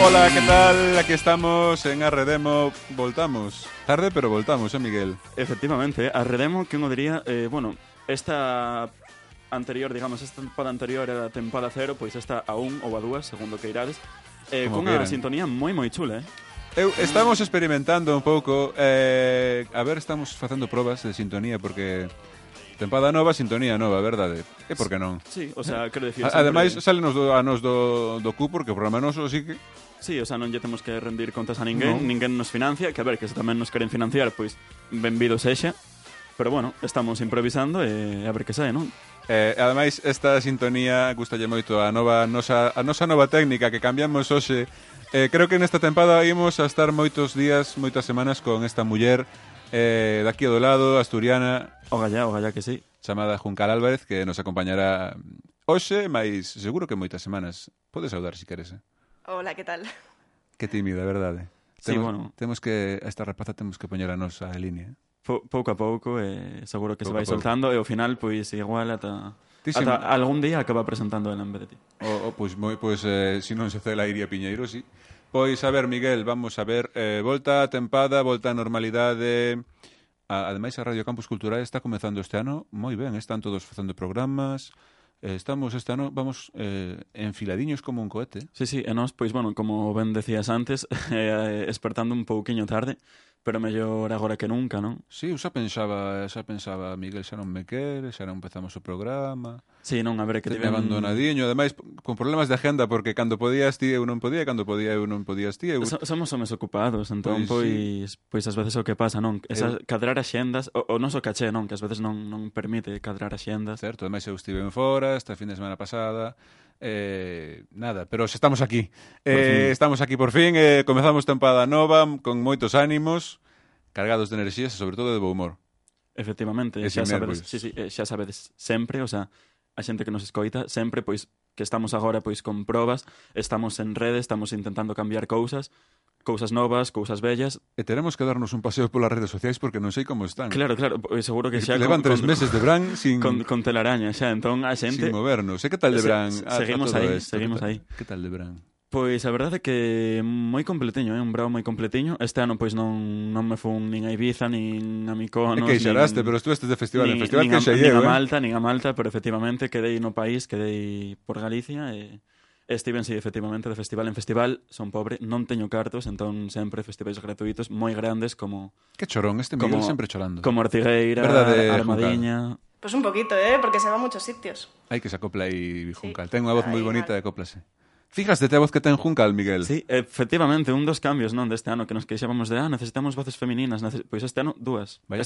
Ola, que tal? Aquí estamos en Arredemo. Voltamos. Tarde, pero voltamos, Miguel? Efectivamente, Arredemo, que uno diría, bueno, esta anterior, digamos, esta tempada anterior era a tempada 0, pois esta a 1 ou a 2, segundo que irades, con unha sintonía moi chula, Estamos experimentando un pouco, a ver, estamos facendo probas de sintonía, porque tempada nova, sintonía nova, verdade? E por que non? Sí, o sea, quero decir... Ademais, sálenos a nos do cu, porque o programa noso sí que... Sí, o sea, non lle temos que rendir contas a ninguén, ninguén nos financia, que a ver, que se tamén nos queren financiar, pois benvido sexa, pero bueno, estamos improvisando e a ver que sae, non? Ademais, esta sintonía gustalle moito a nosa nova técnica que cambiamos hoxe. Creo que nesta tempada imos a estar moitos días, moitas semanas con esta muller daqui do lado, asturiana, O gallá que sí. chamada Juncal Álvarez, que nos acompañará hoxe, mais seguro que moitas semanas. Podes saudar se queres, Hola, ¿qué tal? Que tímida, verdade? Sí, bueno. Temos que, a esta rapaza temos que poñer a nosa línea. Pouco a pouco, seguro que se vai soltando, e ao final, pois, igual ata algún día acaba presentando ela en vez de ti. Pois, se non se cela iría Piñeiro, sí. Pois, a ver, Miguel, vamos a ver, volta a tempada, volta a normalidade. Ademais, a Radio Campus Cultural está comezando este ano moi ben, están todos facendo programas. Estamos este ano, vamos, enfiladiños como un cohete. Sí, e nós, pois, bueno, como ben decías antes, espertando un pouquiño tarde, pero mellor agora que nunca, non? Sí, eu xa pensaba, Miguel, xa non me quere, xa non empezamos o programa. Sí, non, a ver, que te abandonadiño, ademais, con problemas de agenda, porque cando podías ti eu non podía, cando podía eu non podías ti. Somos homes ocupados, entón, pois ás veces o que pasa, non? Cadrar axendas, o noso caché, non? Que ás veces non permite cadrar axendas. Certo, ademais eu estive en fora, esta fin de semana pasada, nada, pero xa estamos aquí. Estamos aquí por fin, comezamos tempada nova, con moitos ánimos, cargados de enerxías e sobre todo de bo humor. Efectivamente, xa sabedes sempre, o sea, a xente que nos escoita, sempre, pois, que estamos agora, pois, con probas, estamos en redes, estamos intentando cambiar cousas novas, cousas bellas. E teremos que darnos un paseo polas redes sociais porque non sei como están. Claro, seguro que xa... Levan 3 meses de Bran sin... Con telaraña, xa, entón a xente... Sin movernos. E que tal de Bran? Seguimos aí. Que tal de Bran? Pois a verdade é que moi completiño, un brao moi completiño. Este ano pois non me fun nin a Ibiza, nin a Mykonos, que xeraste, pero estuveste de festival, en festival que xa nin a Malta, pero efectivamente quedei no país, quedei por Galicia e estiven, sí, efectivamente, de festival en festival. Son pobre, non teño cartos, entón sempre festivais gratuitos moi grandes como... Que chorón, este Miguel sempre chorando. Como Ortigueira, Armadiña... Pues un poquito, porque se va a muchos sitios. Hai que se acopla aí Juncal. Ten unha voz moi bonita e acóplase. Fíjate a voz que ten Juncal, Miguel. Sí, efectivamente, un dos cambios, non, deste ano que nos queixábamos de, necesitamos voces femininas, pois este ano dúas. Vaya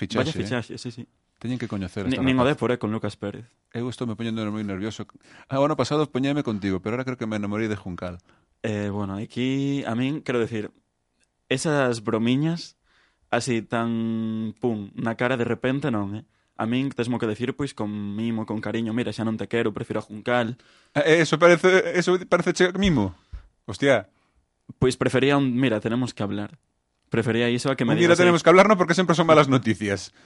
fichaxe, sí. Teñen que coñecer esta nin o Dépor, con Lucas Pérez. Eu estou me poñendo moi nervioso. O ano pasado poñéme contigo, pero ahora creo que me enamorei de Juncal. Bueno, aquí, a min, quero decir, esas bromiñas así tan, pum, na cara de repente, non, A min tesmo que decir, pois, con mimo, con cariño, mira, xa non te quero, prefiro a Juncal. Eso parece mimo? Hostia. Pois prefería mira, tenemos que hablar. Prefería iso a que me digas... Mira, tenemos que hablar, no, porque sempre son malas noticias.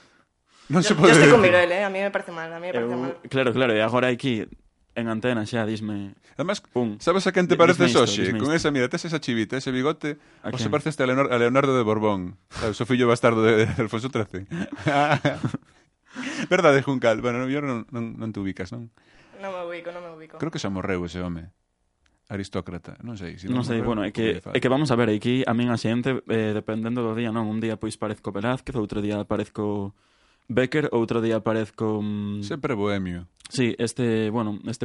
Non se pode... Yo estoy con Miguel, a mí me parece mal, mal. Claro, e agora aquí, en antena xa, disme... Además, pum, sabes a quen te pareces hoxe? Con esa, mira, tes esa chivita, ese bigote, ou se pareces a Leonardo de Borbón, sabes, o fillo bastardo de Alfonso XIII. Verdade, Juncal? Bueno, eu non te ubicas, non? Non me ubico. Creo que xa morreu ese home. Aristócrata, non sei. Non sei, bueno, é que vamos a ver, aquí a min a xente, dependendo do día, non? Un día pois parezco Velázquez, outro día parezco Becker, outro día parezco... Sempre bohemio. Sí, este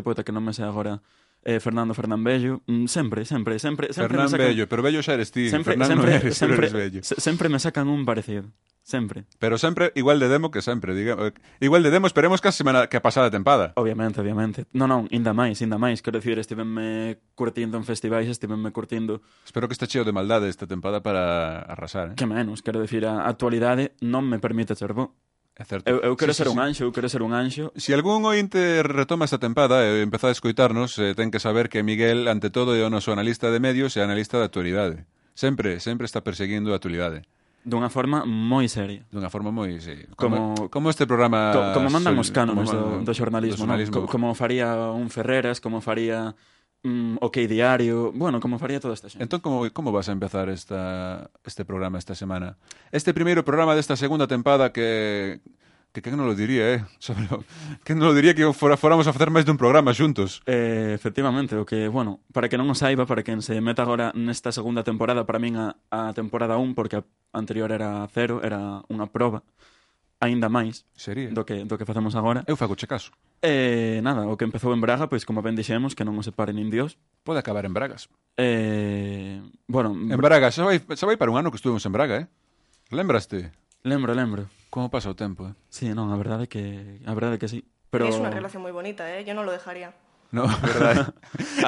poeta que non me sei agora, Fernando Bello, sempre Fernán Bello, pero Bello xa eres ti, Fernando eres Bello. Sempre me sacan un parecido. Sempre. Pero sempre igual de demo que sempre, digamos. Igual de demo, esperemos que a semana que a pasada tempada. Obviamente. Non, inda máis. Quero dicir, estivenme curtindo en festivais, estivenme curtindo... Espero que este cheo de maldade esta tempada para arrasar, Que menos, quero dicir, a actualidade non me permite ser bo. É certo. Eu quero ser un anxo, Se algún ointe retoma esta tempada e empeza a escoitarnos, ten que saber que Miguel, ante todo, é o noso analista de medios e analista de actualidade. Sempre está perseguindo a actualidade. Dunha forma moi seria. Dunha forma moi, sí. Como este programa... Como mandan os cánones do xornalismo, non? Como faría un Ferreras, como faría OK Diario, bueno, como faría toda esta xente. Entón, como vas a empezar este programa esta semana? Este primeiro programa desta segunda tempada que non lo diría, que non lo diría que fóramos a facer máis dun programa xuntos. Efectivamente, o que, bueno, para que non o saiba, para quen se meta agora nesta segunda temporada, para min a temporada 1, porque a anterior era 0, era unha proba, aínda máis Sería. do que facemos agora. Eu fago che caso. Nada, o que empezou en Braga, pois como ben dixemos, que non o separe nin Dios. Pode acabar en Bragas. Bueno, En Braga, xa vai para un ano que estuvemos en Braga, Lembraste? lembro. Como pasa o tempo, Sí, non, a verdade que sí. Pero Es una relación muy bonita, ¿eh? Yo no lo dejaría. No, verdade.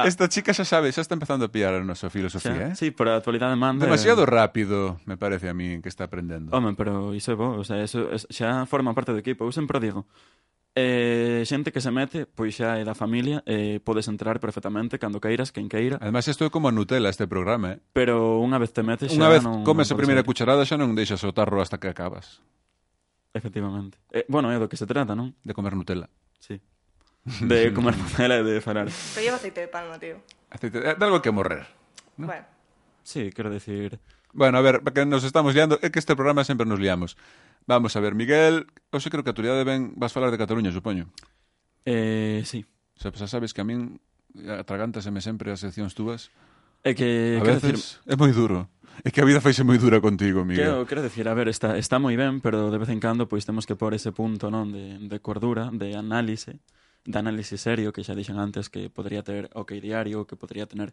Esta chica xa sabe, xa está empezando a pillar a nosa filosofía, Sí, pero a actualidade manda. Demasiado rápido, me parece a mí, que está aprendendo. Home, pero iso é bo, o sea, eso xa forma parte do equipo. Eu sempre digo, xente que se mete, pois xa é da familia, podes entrar perfectamente cando queiras, quen queira, Además, isto é como a Nutella este programa, pero unha vez te metes xa Unha vez non comes a podes primeira sair. cucharada xa non deixas o tarro hasta que acabas Efectivamente. Bueno, é do que se trata, non? de comer Nutella. Sí. De comer Nutella e de falar. Pero lleva aceite de palma, tío. Aceite, de algo que morrer. ¿No? Bueno, Sí, quero decir... Bueno, a ver, que nos estamos liando, é que este programa sempre nos liamos. Vamos a ver, Miguel, hoxe creo que a actualidade vas falar de Cataluña, supoño. Sí. O sea, pues, sabes que a min atragántaseme sempre as seccións túas. É que... A quero veces é moi duro. É que a vida faise moi dura contigo, Miguel. Quero decir, a ver, está moi ben, pero de vez en cando pois temos que pôr ese punto, non, de cordura, de análise serio, que xa dixen antes que podría ter OK Diario, que podría tener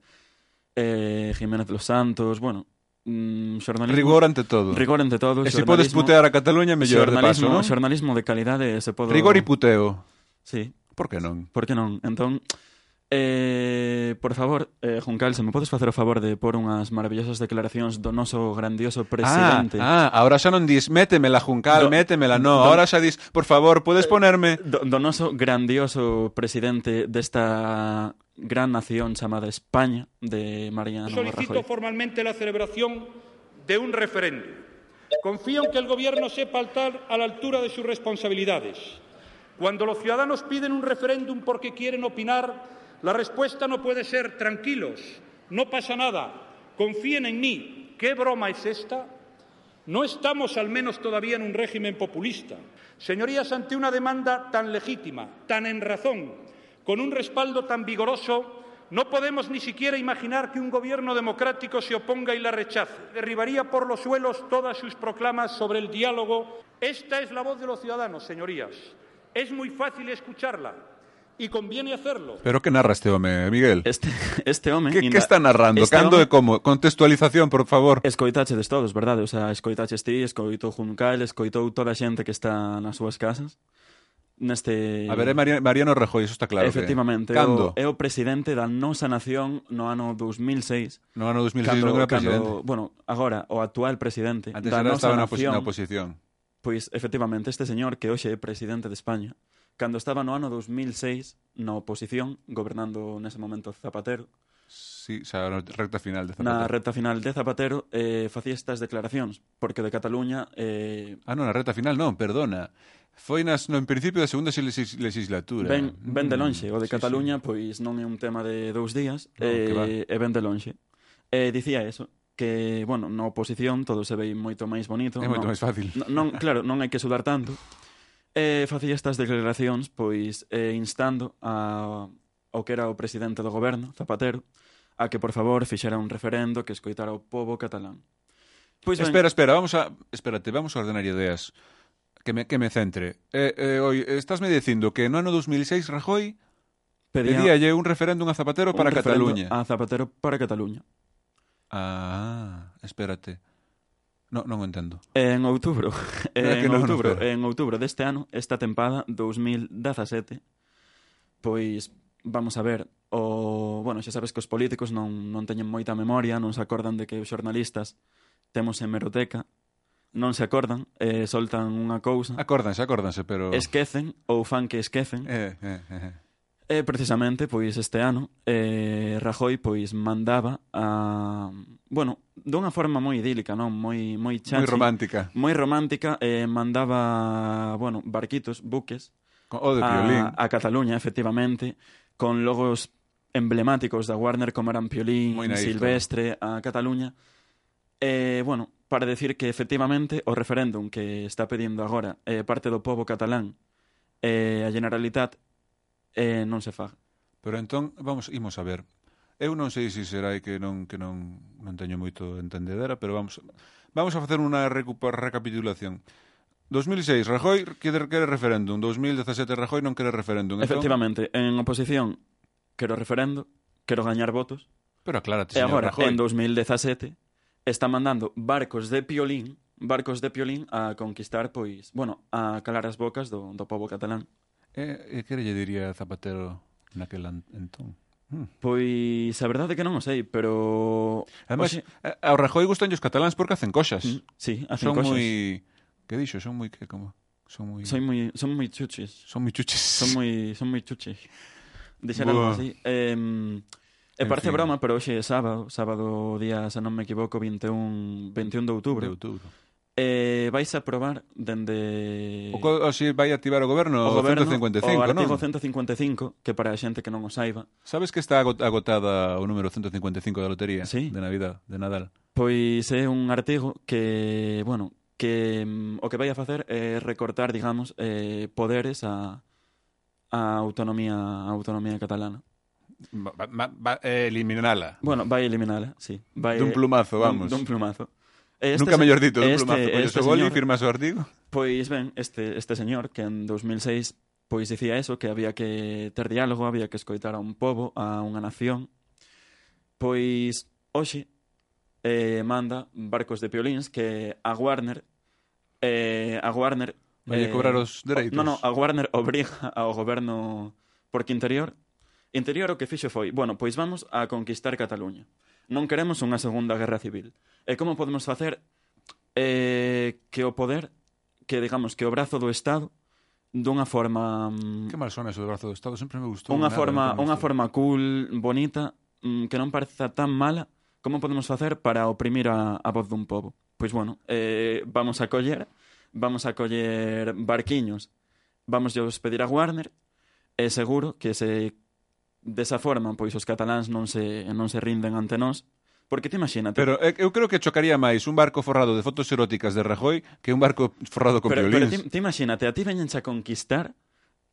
Jiménez Los Santos, bueno, xornalismo... Rigor ante todo. Rigor ante todo. E se podes putear a Cataluña, mellor de paso, non? Xornalismo de calidade, se podo... Rigor e puteo. Sí. Por que non? Por que non? Entón, por favor, Juncal, se me podes facer o favor de pôr unhas maravillosas declaracións do noso grandioso presidente. Ahora xa non dis métemela, Juncal, métemela, no. Ahora xa dis, por favor, podes ponerme... Do noso grandioso presidente desta gran nación chamada España, de Mariano Rajoy. Solicito formalmente la celebración de un referéndum. Confío en que el Gobierno sepa estar a la altura de sus responsabilidades. Cuando los ciudadanos piden un referéndum porque quieren opinar, la respuesta no puede ser tranquilos, no pasa nada, confíen en mí. ¿Qué broma es esta? No estamos al menos todavía en un régimen populista. Señorías, ante una demanda tan legítima, tan en razón, con un respaldo tan vigoroso, no podemos ni siquiera imaginar que un gobierno democrático se oponga y la rechace. Derribaría por los suelos todas sus proclamas sobre el diálogo. Esta es la voz de los ciudadanos, señorías. Es muy fácil escucharla y conviene hacerlo. Pero que narra este home, Miguel? Este home... Que está narrando? Cando e como? Contextualización, por favor. Escoitachedes todos, verdade? O sea, escoitaches ti, escoitou Juncal, escoitou toda a xente que está nas súas casas. Neste... A ver, é Mariano Rajoy, eso está claro. Efectivamente. Cando? É o presidente da nosa nación no ano 2006. No ano 2006 non era presidente. Bueno, agora, o actual presidente Antes da nosa estaba nación... na oposición. Pois, efectivamente, este señor que hoxe é presidente de España, cando estaba no ano 2006 na oposición, gobernando nese momento Zapatero, sí, xa na recta final de Zapatero. Na recta final de Zapatero facía estas declaracións, porque de Cataluña... non, na recta final non, perdona. Foi en principio da segunda legislatura. Ben de lonxe, o de sí, Cataluña, sí. pois non é un tema de 2 días, que e ben de lonxe. Dicía eso, que, bueno, na oposición todo se ve moito máis bonito. É moito máis fácil. Claro, non hai que sudar tanto. Facía estas declaracións, pois, instando ao que era o presidente do goberno, Zapatero, a que, por favor, fixera un referendo que escoitara o pobo catalán. Pois espera, vamos a ordenar ideas. Que me centre. Estásme dicindo que no ano 2006 Rajoy pedíalle un referéndum a Zapatero para Cataluña. A Zapatero para Cataluña. Espérate. Non o entendo. En outubro, en outubro deste ano, esta tempada 2017, pois vamos a ver, bueno, xa sabes que os políticos non teñen moita memoria, non se acordan de que os xornalistas temos hemeroteca, non se acordan, soltan unha cousa. Acórdanse, pero... Esquecen, ou fan que esquecen. Precisamente, pois, este ano, Rajoy, pois, mandaba bueno, dunha forma moi idílica, non? Moi chachi. Moi romántica. Mandaba, bueno, barquitos, buques. O de Piolín. A Cataluña, efectivamente, con logos emblemáticos da Warner como eran Piolín, Moi naif, Silvestre, a Cataluña. Bueno, para decir que efectivamente o referéndum que está pedindo agora parte do pobo catalán a Generalitat non se faga. Pero entón, imos a ver. Eu non sei se será que non teño moito entendedera, pero vamos a facer unha recapitulación. 2006, Rajoy quere referéndum. 2017, Rajoy non quere referéndum. Entón, Efectivamente, en oposición quero referendo, quero gañar votos. pero aclárate, E señor agora, Rajoy. en 2017, está mandando barcos de Piolín a conquistar, pois, bueno, a calar as bocas do pobo catalán. E que lle diría Zapatero naquel entón? Pois a verdade é que non o sei, pero... Además, ao Rajoy gustan os cataláns porque hacen cosas. Sí, hacen Son cosas. moi... Que dixo? Son moi... Son moi chuchis. Son moi chuches. Son moi chuchis. Dixer algo así. Parece fin. broma, pero hoxe é sábado día, se non me equivoco, 21 de outubro. Vais a probar dende... O si vai activar o goberno o goberno, 155, o artigo non? 155, que para a xente que non o saiba. Sabes que está agotada o número 155 da lotería? Sí. De Navidad, de Nadal. Pois é un artigo que, bueno, que o que vai a facer é recortar, digamos, poderes a autonomía catalana. Eliminala. Bueno, vai eliminala, sí. Dun plumazo, vamos. Dun plumazo. Nunca mellor dito, dun plumazo. Este Colles o boli, señor, firmas o artigo. Pois ben, este señor que en 2006 pois dicía eso, que había que ter diálogo, había que escoitar a un pobo, a unha nación. Pois hoxe manda barcos de Piolíns que a Warner Vai cobrar os dereitos. No, a Warner obriga ao goberno porque Interior o que fixo foi, bueno, pois vamos a conquistar Cataluña. Non queremos unha segunda guerra civil. E como podemos facer que o poder, que digamos que o brazo do Estado dunha forma Que mal sona eso do brazo do Estado, sempre me gustou. unha forma cool, bonita, que non pareza tan mala, como podemos facer para oprimir a voz dun pobo? Pois bueno, vamos a coller barquiños, vamos pedir a Warner, e seguro que se desa forma pois os cataláns non se rinden ante nós, porque te imagínate. Pero eu creo que chocaría máis un barco forrado de fotos eróticas de Rajoy que un barco forrado con pero Piolíns. te imagínate, a ti veñense a conquistar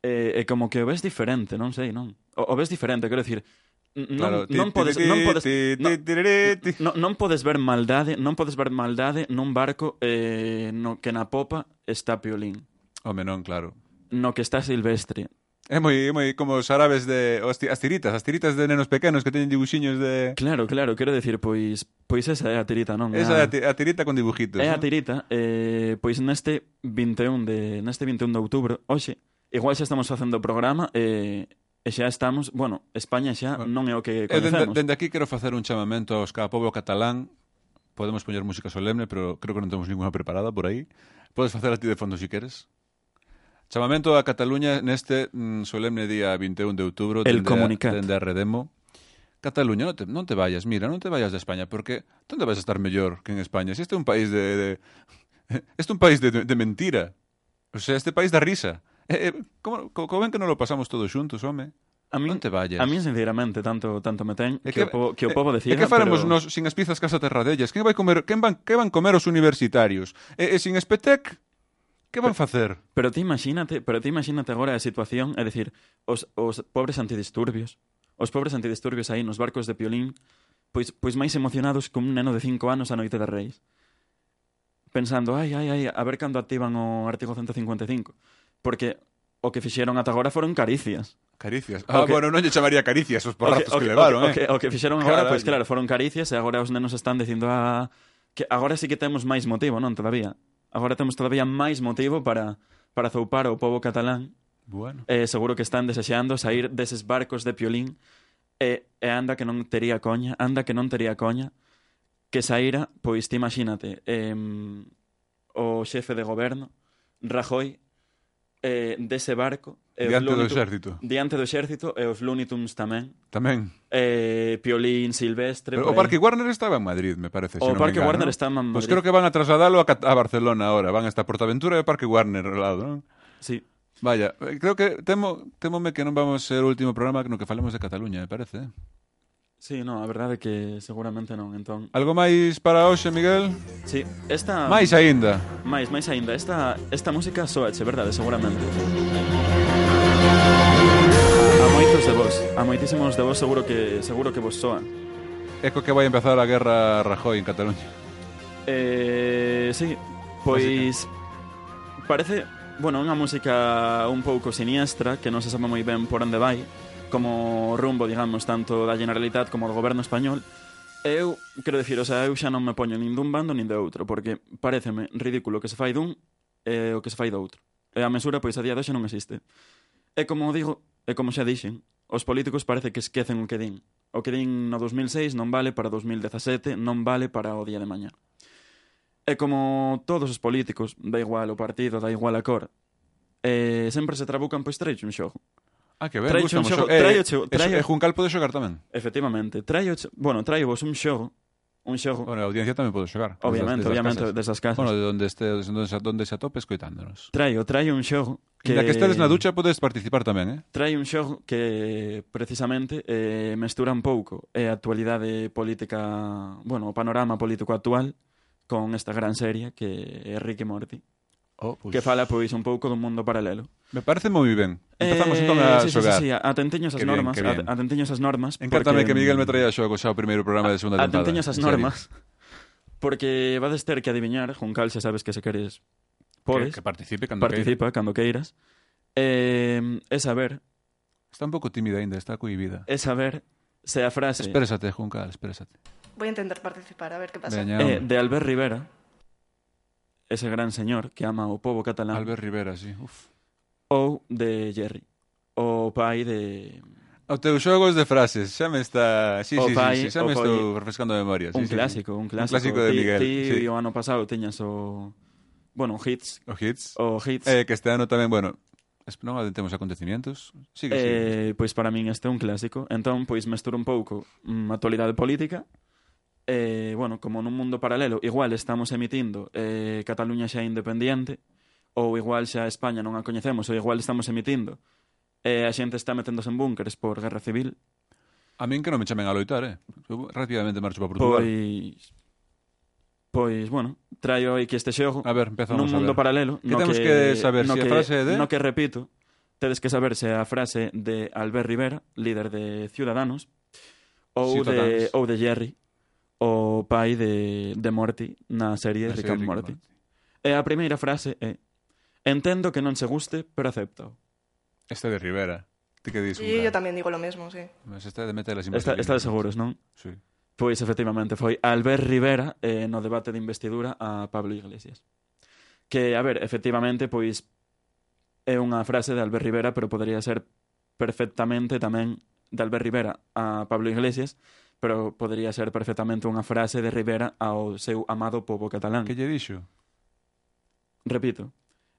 e como que o ves diferente, non sei, non? O ves diferente, quero dicir, non podes ver maldade nun barco no que na popa está Piolín. Home, non, claro. No que está Silvestre. É moi como os árabes de as tiritas de nenos pequenos que teñen dibuxiños de... Claro, quero decir, pois esa é a tirita, non? Esa é a tirita con dibujitos. É a ¿no? tirita, pois neste 21 de outubro, hoxe, igual xa estamos facendo o programa e xa estamos, bueno, España xa non é o que conhecemos. Dende aquí quero facer un chamamento aos pobo catalán. Podemos poñer música solemne, pero creo que non temos ninguna preparada por aí. Podes facer a ti de fondo si queres. Chamamento a Cataluña neste solemne día 21 de outubro dende a Redemo. Cataluña, non te vayas, mira, non te vayas de España, porque onde vas a estar mellor que en España? Si este é un país este é un país de mentira. O sea, este país da risa. Como ven que non lo pasamos todos xuntos, home? Non te vayas. A mí, sinceramente, tanto me ten que o pobo decida. E que faremos nos sin as pizzas casa terradellas? Quen van comer os universitarios? E sin Espetec? Que van facer? Pero ti imagínate agora a situación, é dicir, os pobres antidisturbios aí nos barcos de Piolín, pois máis emocionados que un neno de 5 anos a noite de Reis. Pensando, ai, a ver cando activan o artigo 155. Porque o que fixeron ata agora foron caricias. Caricias? Bueno, non lle chamaría caricias os porrazos que levaron, O que fixeron agora, pois claro, foron caricias e agora os nenos están dicindo que agora sí que temos máis motivo, non? Todavía. Agora temos todavía máis motivo para zoupar o pobo catalán. Bueno. Seguro que están desexando sair deses barcos de Piolín e anda que non tería coña que saíra, pois ti imagínate, o xefe de goberno, Rajoy, dese barco diante do exército e os Looney Tunes tamén Piolín, Silvestre. Pero o Parque Warner estaba en Madrid, me parece. O Parque Warner está en Madrid. Pues creo que van a trasladalo a Barcelona ahora. Van a estar Portaventura e o Parque Warner ao lado, non? Sí. Vaya, creo que temome que non vamos ser o último programa no que falemos de Cataluña, me parece. Sí, no, a verdade é que seguramente non, entón... Algo máis para hoxe, Miguel? Sí, esta... Máis aínda. Máis aínda, esta música soache, verdade, seguramente. A moitos de vos, a moitísimos de vos seguro que vos soa. Eco que vai empezar a guerra Rajoy en Cataluña. Sí, pois parece, bueno, unha música un pouco siniestra que non se sabe moi ben por onde vai, como rumbo, digamos, tanto da Generalitat como do goberno español. Eu, quero dicir, o sea, eu xa non me poño nin dun bando nin de outro, porque pareceme ridículo que se fai dun e o que se fai do outro. E a mesura, pois, a día de hoxe non existe. E como digo, e como xa dixen, os políticos parece que esquecen o que din. O que din no 2006 non vale para 2017, non vale para o día de mañá. E como todos os políticos, da igual o partido, da igual a cor, sempre se trabucan, pois traio un xogo. Ah, que ben, Traio un gustamos. xogo, E Juncal pode xogar tamén. Efectivamente, traio vos un xogo. Bueno, a audiencia tamén pode xogar. Obviamente, desas casas. Bueno, de onde se atope escoitándonos. Traio un xogo que... Na que estedes na ducha podes participar tamén, Traio un xogo que precisamente mestura un pouco a actualidade política, bueno, o panorama político actual con esta gran serie que é Rick e Morty. Pues... Que fala, pois, un pouco dun mundo paralelo. Me parece moi ben. Empezamos entón a xogar. Sí, atentiños as normas. Atentiños as normas. Encántame que Miguel me traía xogos ao primeiro programa de segunda temporada. Atentiños as normas. Porque vades ter que adiviñar, Juncal, xa sabes que se queres podes. Que participe cando queiras. E saber... Está un pouco tímida ainda, está cohibida. E saber se a frase... Exprésate, Juncal, exprésate. Voy a intentar participar, a ver qué pasa. De Albert Rivera, ese gran señor que ama o pobo catalán. Albert Rivera, sí. Uf. Ou de Jerry, o pai de... O teu xogos de frases, xa me está... Sí, xa me estou refrescando a memoria. Un clásico. Un clásico de Miguel. Ti o ano pasado tiñas o... Bueno, hits. O hits. Que este ano tamén, bueno... Non adentemos acontecimientos. Sigue. Pois para min este é un clásico. Entón, pois mesturo un pouco a actualidade política. Bueno, como nun mundo paralelo, igual estamos emitindo Cataluña xa independiente, ou igual xa España non a coñecemos, ou igual estamos emitindo a xente está meténdose en búnkeres por guerra civil. A min que non me chamen a loitar, Eu rapidamente marcho para Portugal. Pois, bueno, traio aquí este xogo. A ver, empezamos nun mundo paralelo. Que temos que saber se a frase de... No que repito, tedes que saber se a frase de Albert Rivera, líder de Ciudadanos, ou de Jerry, o pai de Morty na serie Rick and Morty. E a primeira frase é: entendo que non se guste, pero acepto. Esta de Rivera. Ti que dis? Sí, yo tamén digo lo mismo, sí. Mas esta de meter as Está de seguros, non? Sí. Pois efectivamente foi Albert Rivera no debate de investidura a Pablo Iglesias. Que, a ver, efectivamente, pois é unha frase de Albert Rivera, pero podría ser perfectamente tamén de Albert Rivera a Pablo Iglesias, pero podría ser perfectamente unha frase de Rivera ao seu amado pobo catalán. Que lle dixo? Repito,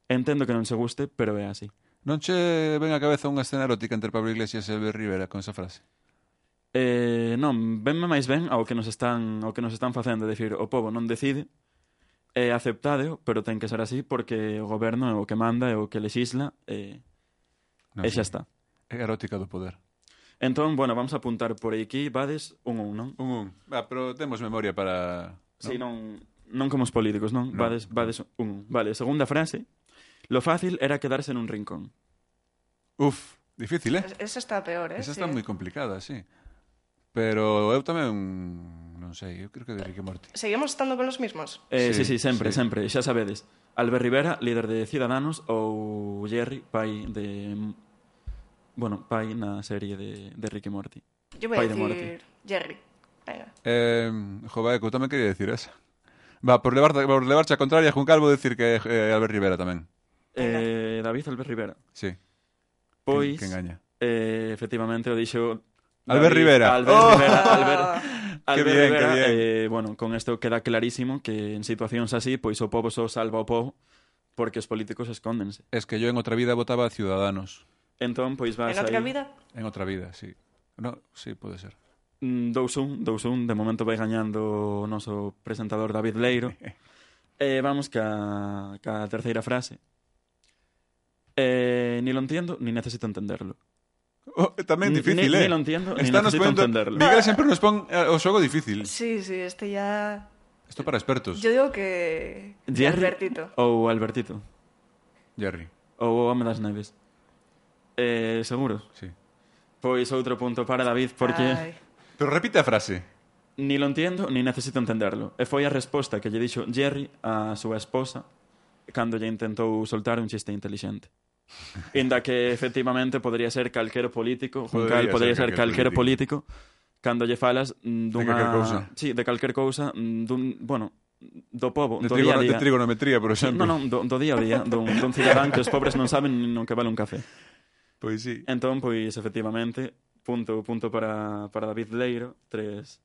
entendo que non se guste, pero é así. Non che ven a cabeza unha escena erótica entre Pablo Iglesias e Albert Rivera con esa frase? Non, venme máis ben ao que nos están facendo, decir, o pobo non decide, é aceptádeo, pero ten que ser así porque o goberno é o que manda, é o que legisla, e xa está. É erótica do poder. Entón, bueno, vamos a apuntar por aquí, vades 1-1, non? 1-1. Pero temos memoria para... Sí, non como os políticos, non? Vades 1-1. Vale, segunda frase. Lo fácil era quedarse nun rincón. Uf, difícil, Esa está peor, Esa está moi complicada, sí. Pero eu tamén, non sei, eu creo que de Rick e Morty. ¿Seguimos estando con los mismos? Sí, sempre. Xa sabedes. Albert Rivera, líder de Ciudadanos, ou Jerry, pai de... Bueno, pai na serie de Rick e Morty. Yo voy a decir Jerry. Venga. Joder, eu tamén quería decir esa. Va, por levarche a contraria, Juncal, vou decir que Albert Rivera tamén. David Albert Rivera. Sí. Pois, que engaña. Efectivamente, o dixo... Albert Rivera. Albert Rivera. Bueno, con isto queda clarísimo que en situacións así, pois o pobo só salva o pobo porque os políticos escóndense. Es que yo en outra vida votaba a Ciudadanos. Entón, pois vas ¿En otra aí... vida? En outra vida, sí. No, sí, pode ser. 2-1, de momento vai gañando o noso presentador David Leiro. Vamos ca terceira frase. Ni lo entiendo, ni necesito entenderlo. Tamén difícil, Ni lo entiendo, ni Está nos necesito ponendo... entenderlo. Miguel sempre nos pon o xogo difícil. Sí, este ya... Isto para expertos. Yo digo que... Jerry Albertito. ou Albertito. Jerry. Ou o Home das Neves. Seguro? Sí. Pois outro punto para David, porque Ai. Pero repite a frase. ni lo entiendo, ni necesito entenderlo. E foi a resposta que lle dixo Jerry á súa esposa cando lle intentou soltar un chiste inteligente. Inda que efectivamente podría ser calquero político, Juncal podría ser calquero político cando lle falas dunha... calquer cousa. Sí, de calquer cousa, do pobo, De, do día a día. de trigonometría, por exemplo. Non, do día a día, dun cidadán que os pobres non saben nin o que vale un café. Pois sí. Entón, pois, efectivamente, punto para David Leiro, 3-1.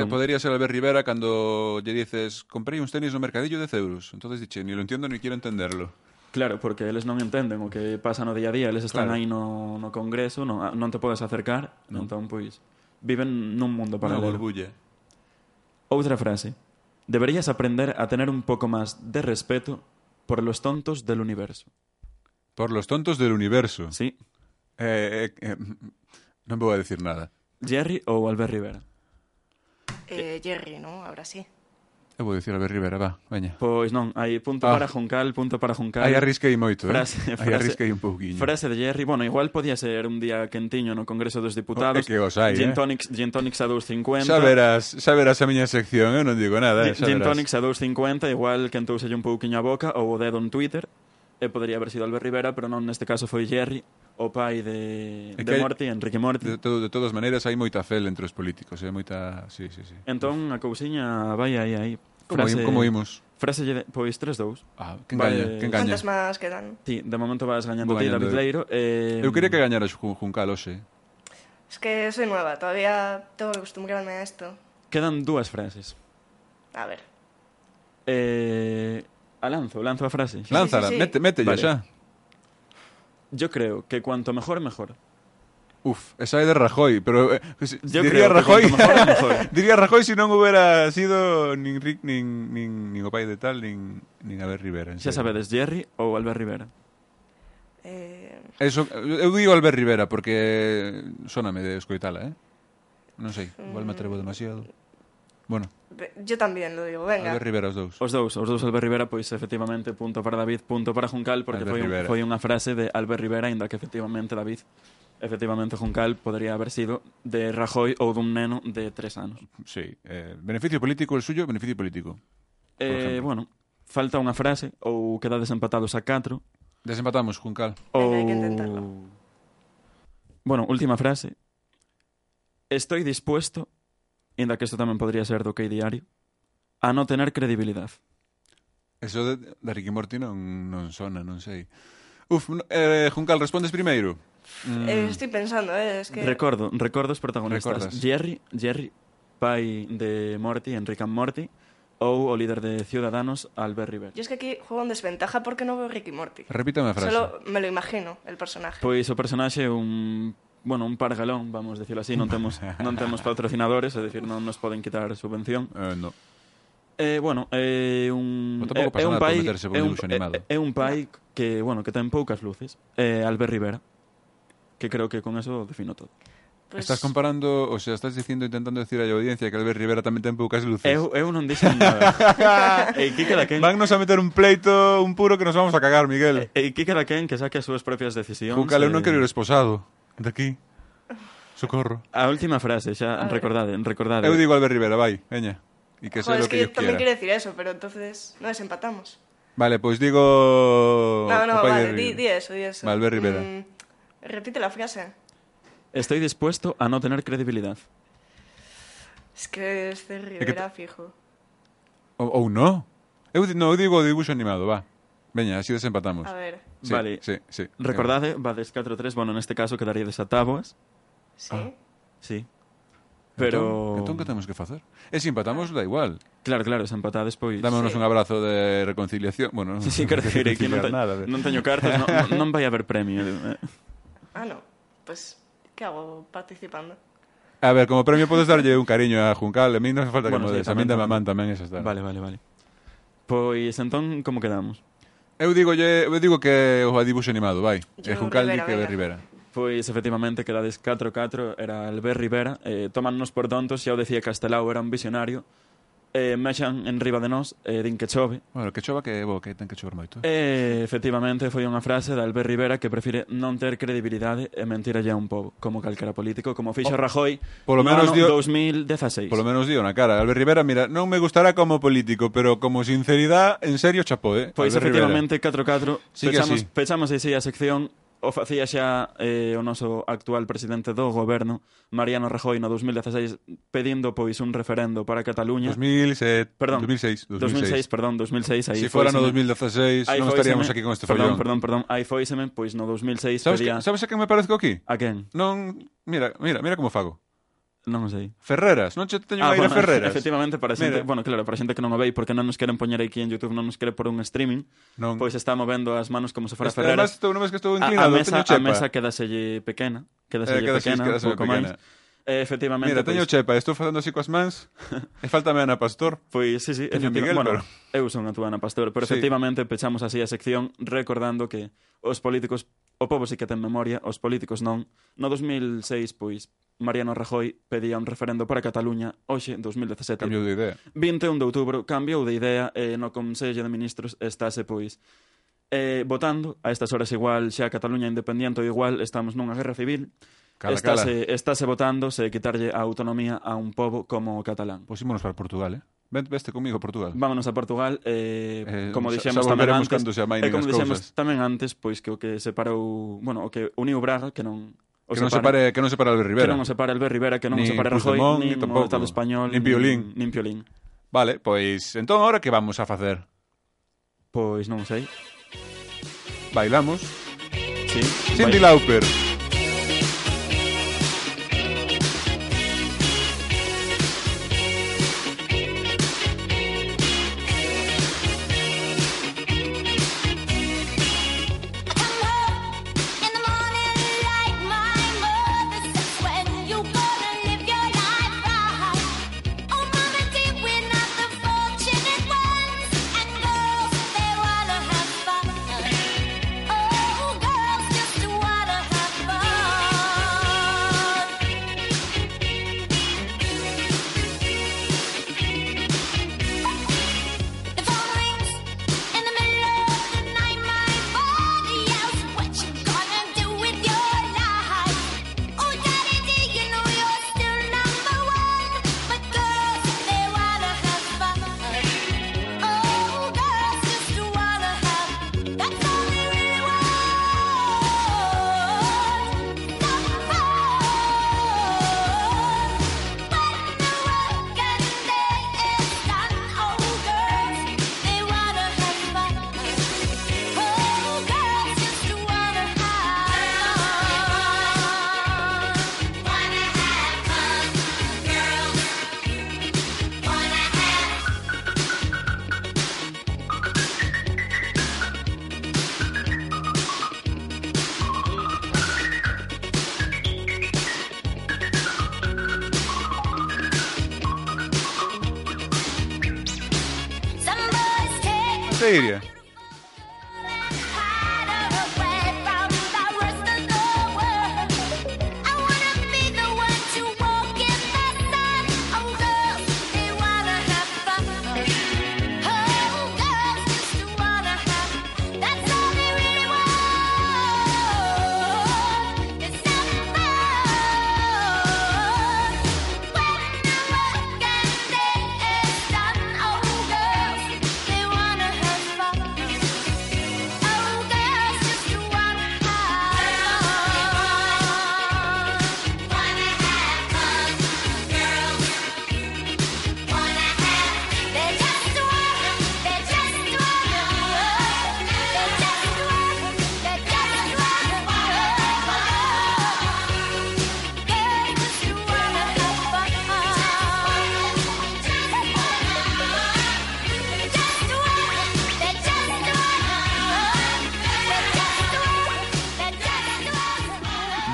Podría ser Albert Rivera cando lle dices comprei uns tenis no mercadillo de 10 euros. Entonces diche, ni lo entiendo ni quiero entenderlo. Claro, porque eles non entenden o que pasa no día a día, eles están Claro. aí no congreso, non te podes acercar, Non. entón, pois, viven nun mundo Una paralelo. burbulla. Outra frase. Deberías aprender a tener un pouco máis de respeto por los tontos del universo. Por los tontos del universo. Sí. Non vou a decir nada. Jerry ou Albert Rivera? Jerry, ¿no? Ahora sí. Eu vou dicir Albert Rivera, va, veña. Pois non, hai punto para Juncal, punto para Juncal. Aí arrisquei moito, Frase- Aí arrisquei un pouquiño. Frase de Jerry, bueno, igual podía ser un día quentiño no Congreso dos Diputados. É que os hai, Gin tonics a 2,50. Xa verás a miña sección, eu non digo nada, xa Gin verás. tonics a 2,50, igual quentouselle un pouquiño a boca ou o dedo en Twitter. E podría haber sido Albert Rivera, pero non, neste caso foi Jerry, o pai de que hai- Morty, Enrique Morty. De todas maneiras hai moita fel entre os políticos, moita... Sí. Entón, a cousiña vai aí. Como imos? Frase pois 3-2. Ah, que Vale. engaña. ¿Cuántas más quedan? Sí, de momento vas gañando Vou ti, gañando David eu. Leiro. Eu quería que gañara Juncal hoxe. Es que soy nueva, todavía tengo que acostumbrarme a esto. Quedan dúas frases. A ver. Lanzo a frase. Lánzala, sí. métella Vale. xa. Yo creo que cuanto mejor, mejor. Uf, esa é de Rajoy, pero Yo diría creo que Rajoy, cuanto mejor, mejor. diría Rajoy si non hubiera sido nin Rick, nin o pai de tal, nin Albert Rivera. Xa sabedes, Jerry ou Albert Rivera. Eso, eu digo Albert Rivera porque sóname de escoitala, Non sei, igual me atrevo demasiado. Bueno, Yo también lo digo, venga. Albert Rivera os dous. Os dous Albert Rivera, pois efectivamente, punto para David, punto para Juncal, porque Albert Rivera. foi unha frase de Albert Rivera, ainda que efectivamente David, efectivamente Juncal podría haber sido de Rajoy ou dun neno de 3 anos. Sí, beneficio político el suyo, beneficio político. ejemplo. Bueno, falta unha frase ou quedades empatados a 4 Desempatamos, Juncal. Venga, hai que intentarlo. Bueno, última frase. Estoy dispuesto, ainda que isto tamén podría ser do que diario, a no tener credibilidad. Eso de Ricky Morty non sona, non sei. Uf, Juncal, respondes primeiro. Estoy pensando, es que... Recordo os protagonistas. Recordas. Jerry, pai de Morty, Enrique and Morty, ou o líder de Ciudadanos, Albert Rivera. Yo es que aquí juego en desventaja porque no veo Ricky Morty. Repítame a frase. Solo me lo imagino, el personaje. Pois o personaxe é un pargalón, vamos decirlo así, non temos patrocinadores, é dicir, non nos poden quitar subvención. No. É un Pero tampouco pasa un nada por pai, meterse por un dibuixo animado. É un pai que ten poucas luces. Albert Rivera, que creo que con eso defino todo. Pues... Estás comparando, o sea, estás intentando decir a la audiencia que Albert Rivera tamén ten poucas luces. Eu non dixen nada. Kike Daquén, Vannos a meter un pleito, un puro que nos vamos a cagar, Miguel. Kike Daquén que saque as súas propias decisións. Juncal, eu non quero ir esposado. De aquí. Socorro. A última frase, xa recordade. Eu digo Albert Rivera, vai, veña. E que sea Joder, lo es que que yo yo también quiera. quiero decir eso, pero entonces no desempatamos. Vale, pois digo... No, o pai vale, de Rivera. di eso, di eso. Vale, Albert Rivera. Repite la frase. Estoy dispuesto a no tener credibilidad. Es que es de Rivera, fijo. Ou no? Eu digo o dibuixo animado, va. Veña, así desempatamos. A ver, Sí, Vale. Sí. Recordade, vades 4-3, bueno, neste caso quedaría desatáboas. sí. Sí. Pero... Entón, que temos que facer? E se empatamos, da igual. Claro, se empatades, pois... Dámonos Sí. un abrazo de reconciliación. Bueno, Sí, quero dicir, aquí non teño cartas, non vai haber premio. Ah, no. Pues, ¿qué hago participando? A ver, como premio podes darlle un cariño a Juncal. A mí non hace falta Bueno, que sí, me des. A mí tamén. da mamán tamén esa está. Vale. Pois, entón, como quedamos? Eu digo que o dibuixo animado, vai. E Yo Juncaldi Rivera, que ve venga. Rivera. Pois, efectivamente, quedades 4-4, era Albert Rivera. Tómannos por tontos, xa o decía Castelao, era un visionario. Mexan en riba de nós, din que chove. Bueno, que chova que bo, que ten que chover moito. Efectivamente, foi unha frase de Albert Rivera que prefire non ter credibilidade e mentir allá un pobo, como calquera político, como fixo Rajoy polo no menos ano dio- 2016. Polo menos dio na cara. Albert Rivera, mira, non me gustará como político, pero como sinceridade, en serio, chapó, Pois Albert efectivamente 4-4 Sigue así. pechamos así a sección. O facía xa o noso actual presidente do goberno, Mariano Rajoy, no 2016, pedindo pois un referendo para Cataluña. 2006, Perdón, 2006. Aí Si fora no fóiseme. 2016 Aí non fóiseme. estaríamos aquí con este follón. Perdón. Aí fóiseme, pois no 2006 Sabes, pedía... sabes a quen me parezco aquí? A quen? Non, mira como fago. Non sei. Ferreras, non che teño aire bueno, Ferreras. efectivamente, para xente, Mira. bueno, claro, para xente que non o vei, porque non nos queren poñer aquí en YouTube, non nos quere por un streaming, Non. pois está movendo as manos como se fora Además, Ferreras. estou non ves que estou A inclinado, mesa, teño chepa. a mesa quedaselle pequena, Quedaselle un pouco pequena. máis. Efectivamente, Mira, teño pois, chepa, estou facendo así coas mans e faltame Ana Pastor. pois sí, Teño Miguel, bueno, pero- eu son a túa Ana Pastor, pero Sí. efectivamente pechamos así a sección recordando que os políticos, o pobo sí que ten memoria, os políticos non. No 2006, pois, Mariano Rajoy pedía un referendo para Cataluña, hoxe, 2017. Cambio de idea. 21 de outubro, cambiou de idea e no Consello de Ministros estáse, pois, votando. A estas horas igual xa Cataluña independiente ou igual estamos nunha guerra civil. Cala. Estáse votando se quitarlle a autonomía a un pobo como o catalán. Pois ímonos para Portugal, Veste comigo a Portugal. Vámonos a Portugal, como xa dixemos tamén volveremos antes, cando se amainen como as dixemos cousas. tamén antes, pois que o que separou, bueno, o que uniu Braga, que non o Que non separe Albert Rivera. que non o separe Albert Rivera, que non o Nin separe Rajoy, Puigdemont, nin nin tampouco. o Estado español, Nin Piolín. nin Piolín. Vale, pois entón ahora que vamos a facer? Pois non sei. Bailamos. Sí. Cyndi Vai. Lauper. Iria.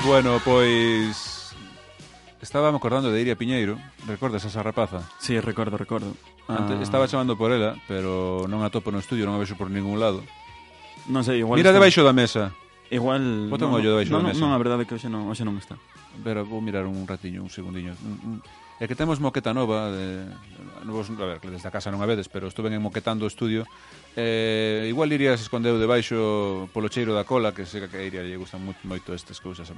Bueno, pois estaba me acordando de Iria Piñeiro. Recordas esa rapaza? Sí, recordo. Antes, estaba chamando por ela, pero non a topo no estudio, non a vexo por ningún lado. Non sei, igual Mira está. debaixo da mesa. Igual... Bota un ollo debaixo da mesa. Non, a verdade é que hoxe non está. Pero vou mirar un ratiño, un segundiño. É que temos moqueta nova novos, a ver, que desde a casa non a vedes, pero estuve moquetando o estudio. Igual Iria se escondeu debaixo polo cheiro da cola, que sei que a Iria lle gustan moito estas cousas.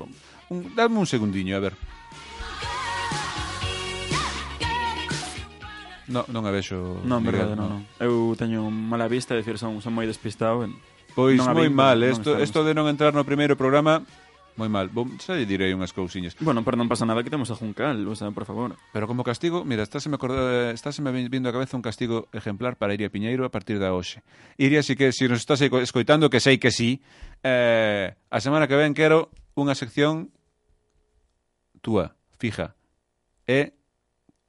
Dame un segundiño, a ver. Non a vexo. Non, Miguel, verdade, non. Eu teño mala vista, é dicir, son moi despistado. Pois non a moi vin, mal, non isto estamos. de non entrar no primeiro programa, moi mal. Xa lle direi unhas cousiñas. Bueno, pero non pasa nada que temos a Juncal, o sea, por favor. Pero como castigo, mira, estáse me vindo a cabeza un castigo ejemplar para Iria Piñeiro a partir da hoxe. Iria, si nos estás escoitando, que sei que sí, a semana que ven quero unha sección túa, fija. E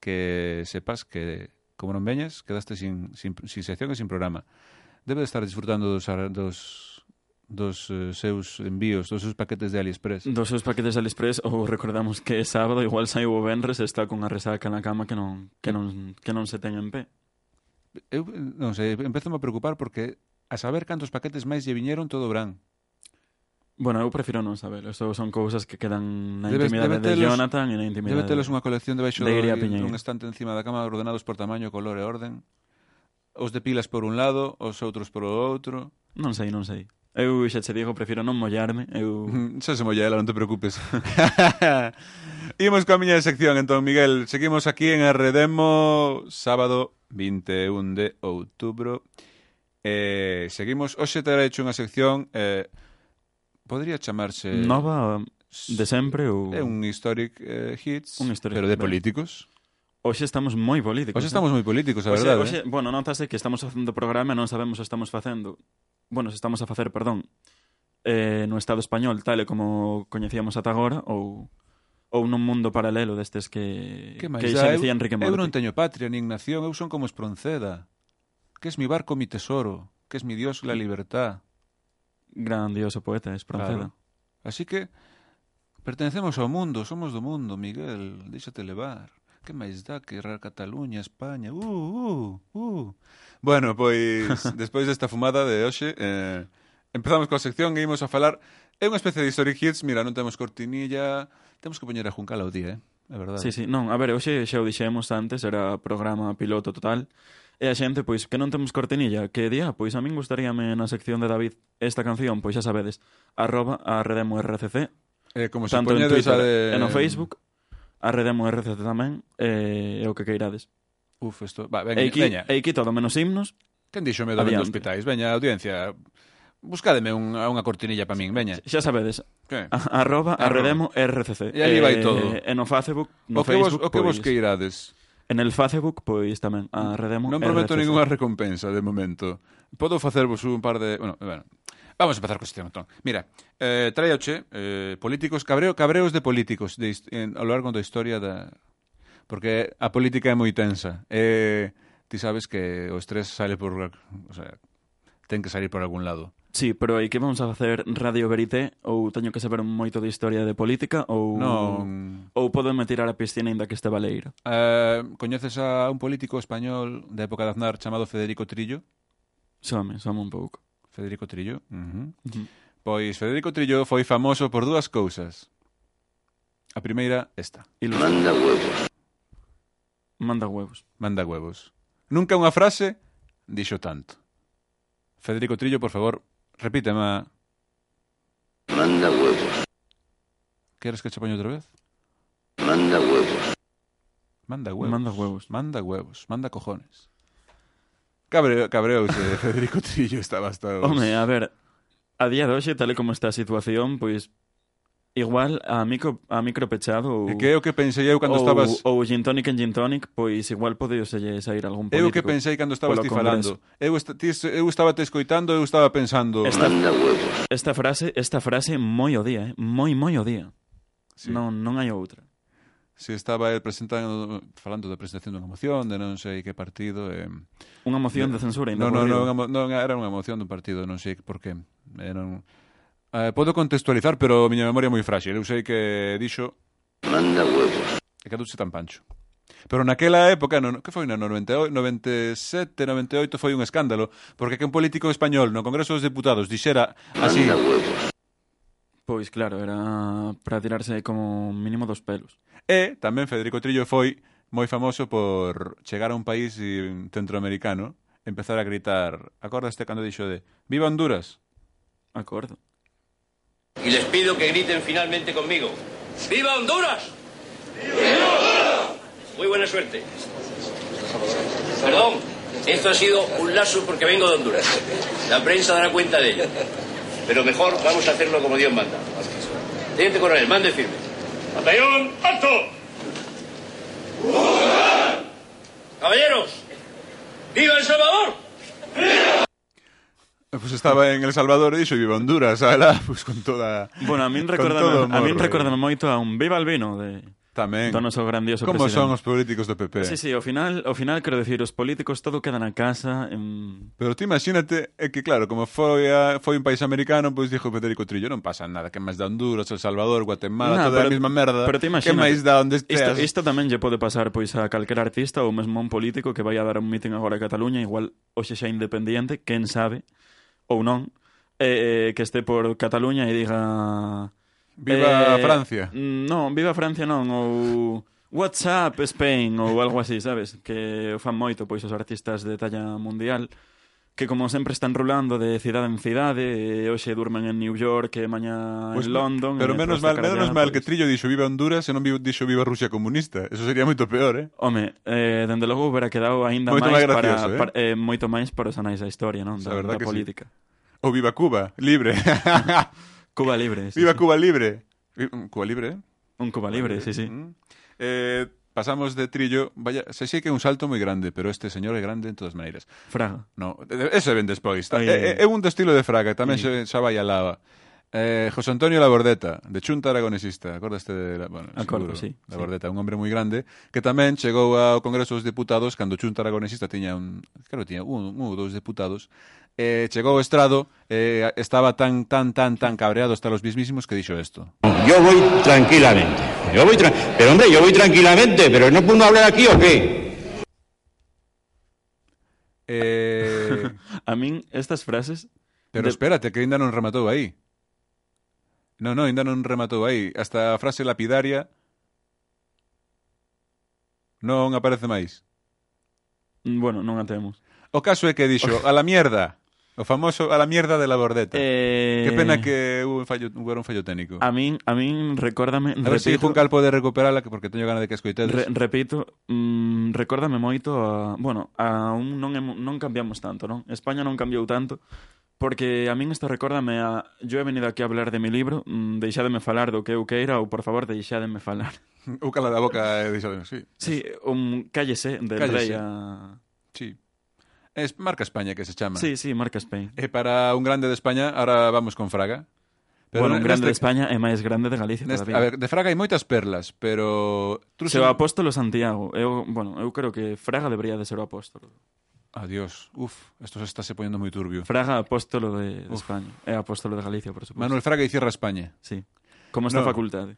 que sepas que, como non veñas, quedaste sin sección e sin programa. Debe de estar disfrutando dos seus envíos, dos seus paquetes de AliExpress. Dos seus paquetes de AliExpress, ou recordamos que é sábado, igual saiu o venres e está con a resaca na cama que non se ten en pé. Eu non sei, empezome a preocupar porque a saber cantos paquetes máis lle viñeron todo o verán. Bueno, eu prefiro non saber. Eso son cousas que quedan na Debe intimidade de telos- Jonathan e na intimidade... Debe telos unha colección debaixo de Iria Piñeiro. dun estante encima da cama ordenados por tamaño, color e orden. Os de pilas por un lado, os outros por o outro. Non sei. Eu xa che digo, prefiro non mollarme. Xa se molla ela, non te preocupes. Imos coa miña sección, entón, Miguel. Seguimos aquí en Arredemo, sábado 21 de outubro. Seguimos, hoxe terá hecho unha sección, podría chamarse... Nova de sempre ou... É un historic hits, Un historic, pero de ben. políticos. Hoxe estamos moi políticos. Hoxe estamos moi políticos, a verdade. Bueno, notase que estamos facendo programa e non sabemos se estamos facendo... Bueno, se estamos a facer, perdón, no Estado español, tal e como coñecíamos ata agora, ou nun mundo paralelo destes que xa dicía Enrique Morty. Eu non teño patria nin nación, eu son como Espronceda. Que es mi barco, mi tesoro, que es mi Dios, la libertad. Grandioso poeta, Espronceda. Claro. Así que pertenecemos ao mundo, somos do mundo, Miguel, déxate levar. Que máis dá que Cataluña, España? Bueno, pois, despois desta fumada de hoxe, empezamos coa sección e imos a falar. É unha especie de historic hits, mira, non temos cortinilla, temos que poñer a Juncal ao día, é verdade. Sí, non, a ver, hoxe xa o dixemos antes, era programa piloto total, e a xente, pois, que non temos cortinilla, que día, pois a min gustaríame na sección de David esta canción, pois xa sabedes, @arredemorcc, Como se tanto en poñedes Twitter a de... e no Facebook, arredemorcc tamén, e o que queirades. Isto... Va, E aquí todo menos himnos. Quen dixo medo vendo Adiante. hospitais? Veña, audiencia, buscádeme unha cortinilla para min, veña. Xa sabedes, Que? @arredemorcc. E ali vai todo. E no Facebook, O que vos pois, que irades? en el Facebook, pois tamén, arredemo Non prometo RCC. ninguna recompensa de momento. Podo facervos un par de... Bueno, vamos a empezar co sistema, entón. Mira, traioche políticos, cabreos de políticos ao largo da historia da... Porque a política é moi tensa. Ti sabes que o estrés sale por... O sea, ten que salir por algún lado. Sí, pero aí que vamos a facer Radio Verité, ou teño que saber moito de historia de política, ou Non... ou podeme tirar a piscina ainda que este baleiro. Coñeces a un político español da época de Aznar chamado Federico Trillo? Some un pouco. Federico Trillo. Ujú. Pois Federico Trillo foi famoso por dúas cousas. A primeira, esta. Manda huevos. Manda huevos. Nunca unha frase dixo tanto. Federico Trillo, por favor, repíteme. Manda huevos. Queres que che poño outra vez? Manda huevos. Manda huevos. Manda huevos. Manda huevos. Manda cojones. Cabreouse Federico Trillo, estaba hasta... Home, a ver, a día de hoxe, tal e como está a situación, pois igual a micro pechado ou... E que é o que pensei eu cando estabas... Ou gin tonic en gin tonic, pois igual podeu sair algún político. Eu que pensei cando estabas polo ti Congreso. falando. Eu estaba te escoitando, eu estaba pensando... Manda huevos. Esta frase moi o día, moi o día. Sí. Non hai outra. Se estaba el falando da presentación dunha moción de non sei que partido... Unha moción de censura ainda. Non, era unha moción dun partido, non sei por qué. Podo contextualizar, pero a miña memoria é moi frágil. Eu sei que dixo... Manda huevos. E caduche tan pancho. Pero naquela época, que foi no 98, 97, 98, foi un escándalo, porque que un político español no Congreso dos Deputados dixera así... Manda huevos. Pois claro, era para tirarse como mínimo dos pelos. E tamén Federico Trillo foi moi famoso por chegar a un país centroamericano, empezar a gritar, acordaste cando dixo de Viva Honduras? Acordo. Y les pido que griten finalmente conmigo. ¡Viva Honduras! ¡Viva Honduras! Muy buena suerte. Perdón, esto ha sido un lapsus porque vengo de Honduras. La prensa dará cuenta de ello. Pero mejor vamos a hacerlo como Dios manda. Teniente coronel, mande firme. ¡Batallón, alto! Caballeros, ¡viva El Salvador! Pues estaba en El Salvador e dixo Viva Honduras, sabela, pues con toda... Bueno, a min con todo recórdame morro. moito a un Viva el vino de Tamén. do noso grandioso Como presidente. son os políticos do PP. Sí, ao final quero decir, os políticos todo queda na casa. Pero ti imagínate, é que claro, como foi un país americano, pois dixo Federico Trillo, non pasa nada, que máis da Honduras, El Salvador, Guatemala, toda a mesma merda. Pero te que imagínate, máis da onde esteas. Isto tamén lle pode pasar pois a calquer artista ou mesmo a un político que vai a dar un meeting agora a Cataluña, igual hoxe xa independiente, quen sabe, ou non, que este por Cataluña e diga... Viva Francia. Non, viva Francia non, ou... What's up Spain, ou algo así, sabes? Que o fan moito, pois, os artistas de talla mundial, que como sempre están rolando de cidade en cidade, e hoxe durmen en New York, e mañá Pues, en London... pero menos mal que pois... Trillo dixo Viva Honduras e non dixo Viva Rusia comunista. Eso sería moito peor, Home, dende logo hubiera quedado aínda Moito máis máis gracioso, moito máis para os anais da historia, non? Da verdad que política. Ou Viva Cuba, libre. Cuba libre, sí, Viva sí. Cuba libre. Cuba libre, Un Cuba libre, sí, sí. pasamos de Trillo, vaya, se sei que é un salto moi grande, pero este señor é grande en todas maneiras. Fraga. No, ese ven despois. Oye. É un do estilo de Fraga, tamén xa vai a lava. José Antonio Labordeta, de Chunta Aragonesista, acordaste de Acordo, seguro, sí. Labordeta, un hombre moi grande, que tamén chegou ao Congreso dos Deputados cando Chunta Aragonesista tiña creo que tiña un ou dous deputados, chegou ao estrado, estaba tan cabreado hasta los mismísimos que dixo esto. Yo voy tranquilamente. Pero hombre, yo voy tranquilamente, pero ¿no puedo hablar aquí o qué? A min estas frases... Pero espérate, que ainda non rematou aí. Non, ainda non rematou aí. Hasta a frase lapidaria non aparece máis. Bueno, non a temos. O caso é que dixo, a la mierda. O famoso a la mierda de Labordeta. Que pena que hubo un fallo técnico. A min recórdame... A ver se Juncal pode recuperala, porque teño gana de que escoitedes. Repito, recórdame moito a... Bueno, non cambiamos tanto, non? España non cambiou tanto, porque a min isto recórdame a... Yo he venido aquí a hablar de mi libro, deixádeme falar do que eu queira, ou por favor, deixádeme falar. Ou cala da boca e deixádeme, sí. Sí, cállese del rei a... Sí. Es Marca España que se chama. Sí, Marca Spain. E para un grande de España, ahora vamos con Fraga. Pero bueno, un grande de España é máis grande de Galicia todavía. A ver, de Fraga hai moitas perlas, pero... Se o apóstolo Santiago. Eu creo que Fraga debería de ser o apóstolo. Adiós. Esto se está se poniendo moi turbio. Fraga, apóstolo de España. É apóstolo de Galicia, por suposto. Manuel Fraga e cierra España. Sí. Como esta facultade.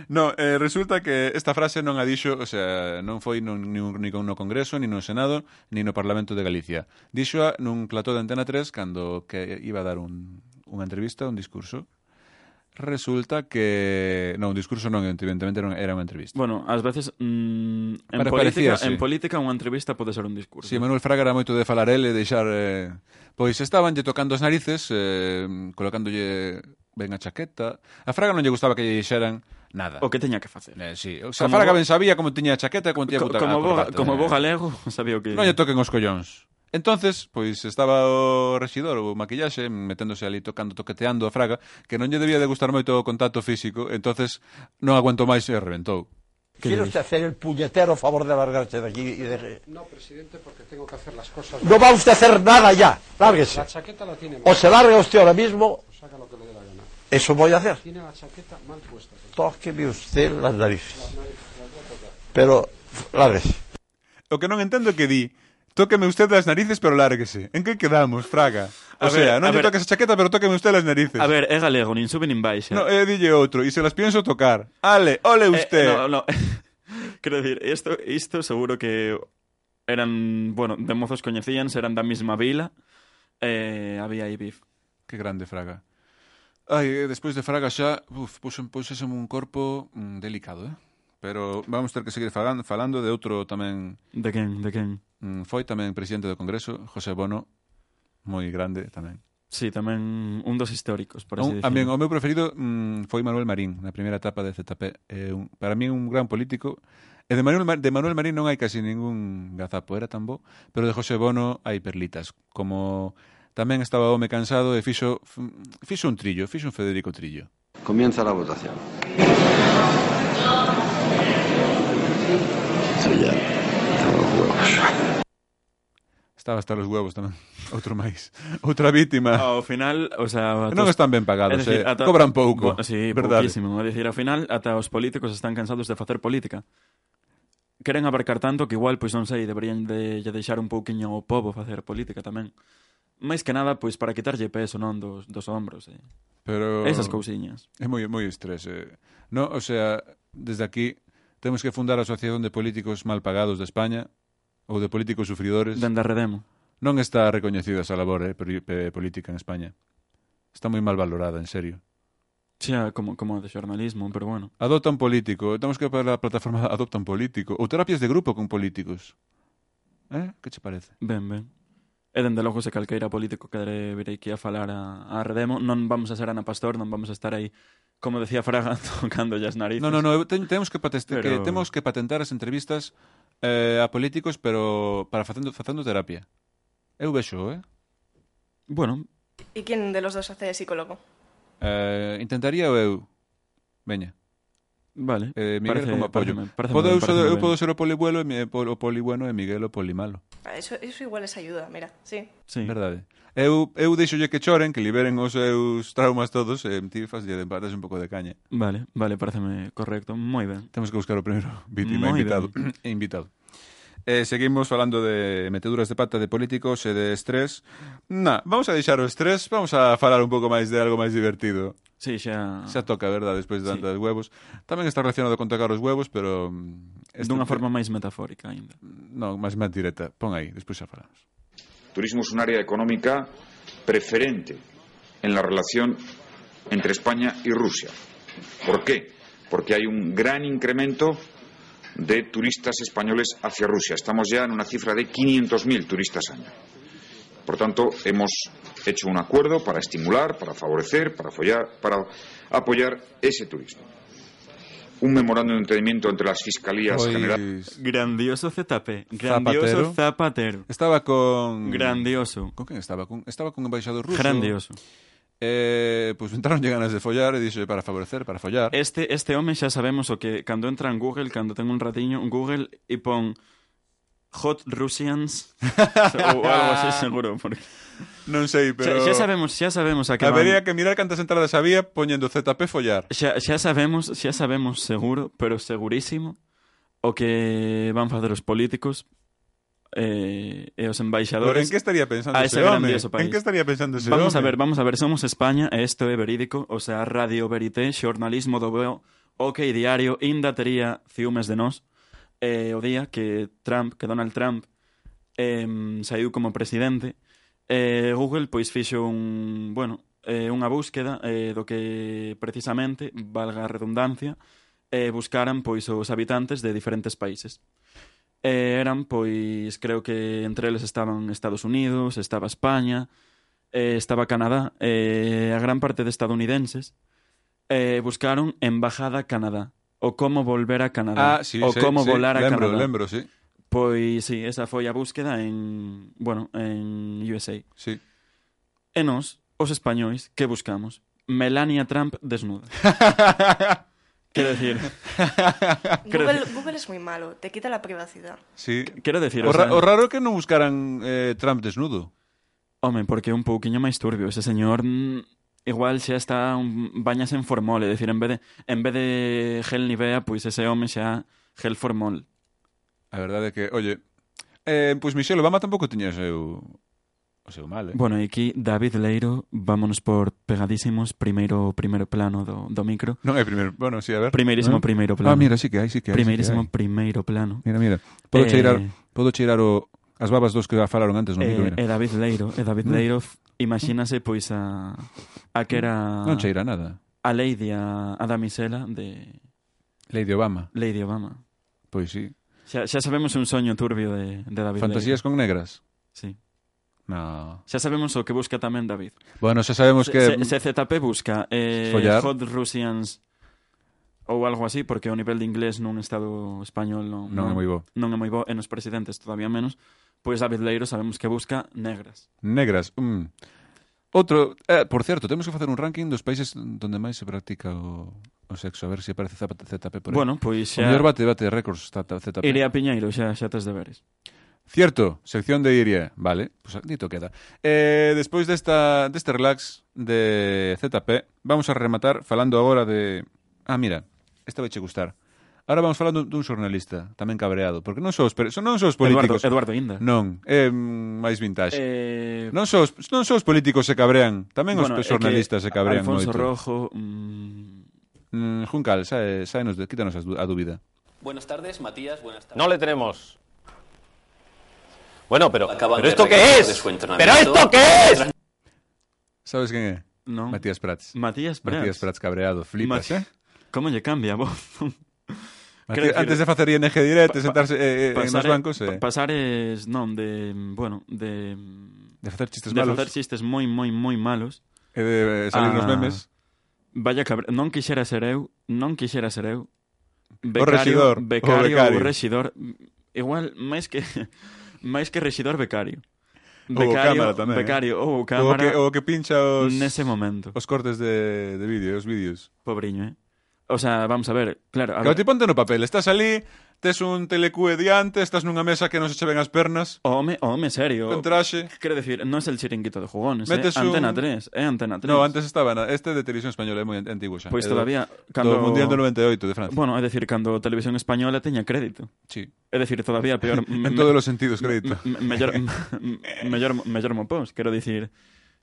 No, resulta que esta frase non a dixo, o sea, non foi ni no Congreso, ni no Senado, ni no Parlamento de Galicia. Dixo nun plató de Antena 3 cando que iba a dar unha entrevista, un discurso. Resulta que... Non, un discurso non, evidentemente era unha entrevista. Bueno, ás veces en política unha entrevista pode ser un discurso. Si, Manuel Fraga era moito de falar ele, deixar... Pois estabanlle tocando as narices, colocándolle ben a chaqueta. A Fraga non lle gustaba que lle dixeran nada. O que teña que facer. Sí. O sea, Fraga ben sabía como tiña a chaqueta e como tiña puta como bo galego, sabía o que... Non lle toquen os collóns. Entonces, pois estaba o rexidor, o maquillaxe, meténdose ali toqueteando a Fraga, que non lle debía de gustar moito o contacto físico, entonces non aguantou máis e reventou. ¿Quiere usted hacer el puñetero favor de largarse de aquí y de... No, presidente, porque tengo que hacer las cosas... No va usted a hacer nada ya, lárguese. La chaqueta la tiene mal. O se larga usted ahora mismo... O saca lo que le dé la gana. Eso voy a hacer. Tiene la chaqueta mal puesta. Tóqueme usted las narices. Pero, lárguese. O que non entendo é que di, tóqueme usted las narices, pero lárguese. En que quedamos, Fraga? O sea, non lle toques a chaqueta, pero tóqueme usted las narices. A ver, é galego, nin sube nin baixa. No, dille outro, e se las pienso tocar. Ale, ole usted. No. Quero dicir, isto seguro que eran, bueno, de mozos coñecíanse, eran da mesma vila, había aí bif. Que grande Fraga. Ai, despois de Fraga xa, puxese un corpo delicado, Pero vamos ter que seguir falando de outro tamén. De quen? Foi tamén presidente do Congreso, José Bono, moi grande tamén. Sí, tamén un dos históricos, por así dicirlo. O dicirlo. meu preferido foi Manuel Marín, na primeira etapa de ZP. Para mí un gran político. E de Manuel Marín non hai casi ningún gazapo, era tan bo, pero de José Bono hai perlitas, como tamén estaba home cansado e fixo un trillo, fixo un Federico Trillo. Comienza la votación. Estoy ya hasta los huevos. Estaba hasta los huevos tamén. Outro máis. Outra vítima. Ao final, o sea... Non están ben pagados, decir, cobran pouco. Sí, verdade. pouquísimo. É dicir, ao final, ata os políticos están cansados de facer política. Queren abarcar tanto que igual, pois non sei, deberían de deixar un pouquiño o pobo facer política tamén. Máis que nada, pois, para quitarlle peso, non, dos hombros. Pero esas cousiñas. É moi estrés. No, o sea, desde aquí temos que fundar a Asociación de Políticos Mal Pagados de España ou de políticos sufridores. Dende a Redemo. Non está recoñecida esa labor política en España. Está moi mal valorada, en serio. Xa, como de xornalismo, pero bueno. Adopta un político. Temos que para a plataforma Adopta un político. Ou terapias de grupo con políticos. Que che parece? Ben. E dende logo se calqueira político que vir aquí a falar a Redemo, non vamos a ser Ana Pastor, non vamos a estar aí, como decía Fraga, tocando as narices. No, temos que patentar as entrevistas a políticos, pero para facendo terapia. Eu vexo, Bueno. ¿Y quién de los dos hace psicólogo? Intentaría eu. Veña. Vale. Miguel como apoyo. Eu podo ser o polibuelo o polibueno e Miguel o polimalo. Eso igual les ayuda, mira, sí. Verdade. Eu deixolle que choren, que liberen os seus traumas todos e ti faslle de patas un pouco de caña. Vale, pareceme correcto. Moi ben. Temos que buscar o primeiro vítima invitado. Seguimos falando de meteduras de pata de políticos e de estrés. Vamos a deixar o estrés, vamos a falar un pouco máis de algo máis divertido. Sí, xa toca, verdade, despois de tantos huevos. Tamén está relacionado con tocar os huevos, pero dunha forma máis metafórica aínda. Non, máis directa. Pon aí, despois xa falamos. Turismo es un área económica preferente en la relación entre España y Rusia. ¿Por qué? Porque hay un gran incremento de turistas españoles hacia Rusia. Estamos ya en una cifra de 500.000 turistas año. Por tanto, hemos hecho un acuerdo para estimular, para favorecer, para apoyar ese turismo. Un memorándum de entendimiento entre las fiscalías generales. Grandioso ZP. Grandioso Zapatero. Estaba con... Grandioso. ¿Con quen estaba? Estaba con embaixador ruso. Grandioso. Pues entraron ganas de follar e dixo para favorecer, para follar. Este home xa sabemos o que cando entra en Google, cando ten un ratiño en Google e pon Hot Russians ou algo así seguro, porque non sei, pero xa sabemos a que habería que mirar cantas entradas había poñendo ZP follar. Xa sabemos seguro, pero segurísimo o que van facer os políticos e os embaixadores. Pero en que estaría pensando ese home? En que estaría pensando ese home? Vamos a ver, somos España e isto é verídico, o sea, Radio Verité, xornalismo do veo, OK Diario, inda tería ciúmes de nós. O día que Donald Trump saiu como presidente, Google pois fixo unha búsqueda do que precisamente, valga a redundancia, buscaran pois os habitantes de diferentes países. Eran, pois, creo que entre eles estaban Estados Unidos, estaba España, estaba Canadá, a gran parte de estadounidenses buscaron Embajada Canadá, o como volver a Canadá, como volar a Canadá. Lembro, sí. Pois, sí, esa foi a búsqueda en USA. Sí. E nós, os españois, que buscamos? Melania Trump desnuda. Quiero decir... Google es muy malo, te quita la privacidad. Sí. Quiero decir... O raro que non buscaran Trump desnudo. Home, porque é un pouquiño máis turbio. Ese señor igual xa está bañas en formol, é dicir, en vez de gel Nivea, pois ese home xa gel formol. A verdade é que, oye, pois Michelle Obama tampouco tiña seu o seu mal, Bueno, e aquí David Leiro, vámonos por pegadísimos, primeiro plano do micro. Non é primeiro, bueno, si, a ver. Primeirísimo primeiro plano. Mira, sí que hai. Primeirísimo primeiro plano. Mira. Podo cheirar as babas dos que falaron antes no micro, mira. E David Leiro, imagínase pois a que era... Non cheira nada. A Lady, a damisela de... Lady Obama. Pois sí. Xa sabemos un soño turbio de David Fantasías Leiro. con negras? Sí. No. Xa sabemos o que busca tamén David. Bueno, xa sabemos que... Se ZP busca Hot Russians ou algo así, porque o nivel de inglés nun estado español non é moi bo. Non é moi bo, e nos presidentes todavía menos. Pois David Leiro sabemos que busca negras. Negras. Outro, por certo, temos que facer un ranking dos países onde máis se practica o sexo, a ver se aparece ZP por aí. Bueno, pois xa... O mellor bate récords ZP. Iria Piñeiro, xa tes deberes. Cierto, sección de Iria. Vale, pues dito queda. Despois deste relax de ZP, vamos a rematar falando agora de... mira, esta vai che gustar. Ahora vamos falando dun xornalista, tamén cabreado, porque non só os políticos... Eduardo Inda. Non, é máis vintage. Non só os políticos se cabrean, tamén os xornalistas se cabrean moito. Alfonso Rojo... Juncal, quítanos a dúbida. Buenas tardes, Matías, buenas tardes. No le tenemos. Bueno, pero ¿esto qué es? ¿Pero esto qué es? ¿Sabes quién é? Non. Matías Prats. Matías Prats cabreado, flipas, Como lle cambia a voz? Antes de facer ING Direct, sentarse nos bancos... Pasares, non, de facer chistes malos. De facer chistes moi malos. E de salir nos memes. Vaya non quixera ser eu. Becario, o rexidor. Igual, máis que rexidor, becario. Becario ou cámara. O que pincha nese momento. Os cortes de vídeo, os vídeos. Pobriño, O sea, vamos a ver, claro... Claro, ti ponte no papel, estás ali, tes un telecue diante, estás nunha mesa que non se che ven as pernas. Home, serio. Con traxe. Quero decir, non é el chiringuito de jugones, Antena 3, Antena 3. No, antes estaba, este de Televisión Española é moi antigo xa. Pois todavía... Do Mundial do 98 de Francia. Bueno, é dicir, cando Televisión Española teña crédito. Sí. É dicir, todavía peor... en todos os sentidos, crédito. mellor mopós, quero dicir...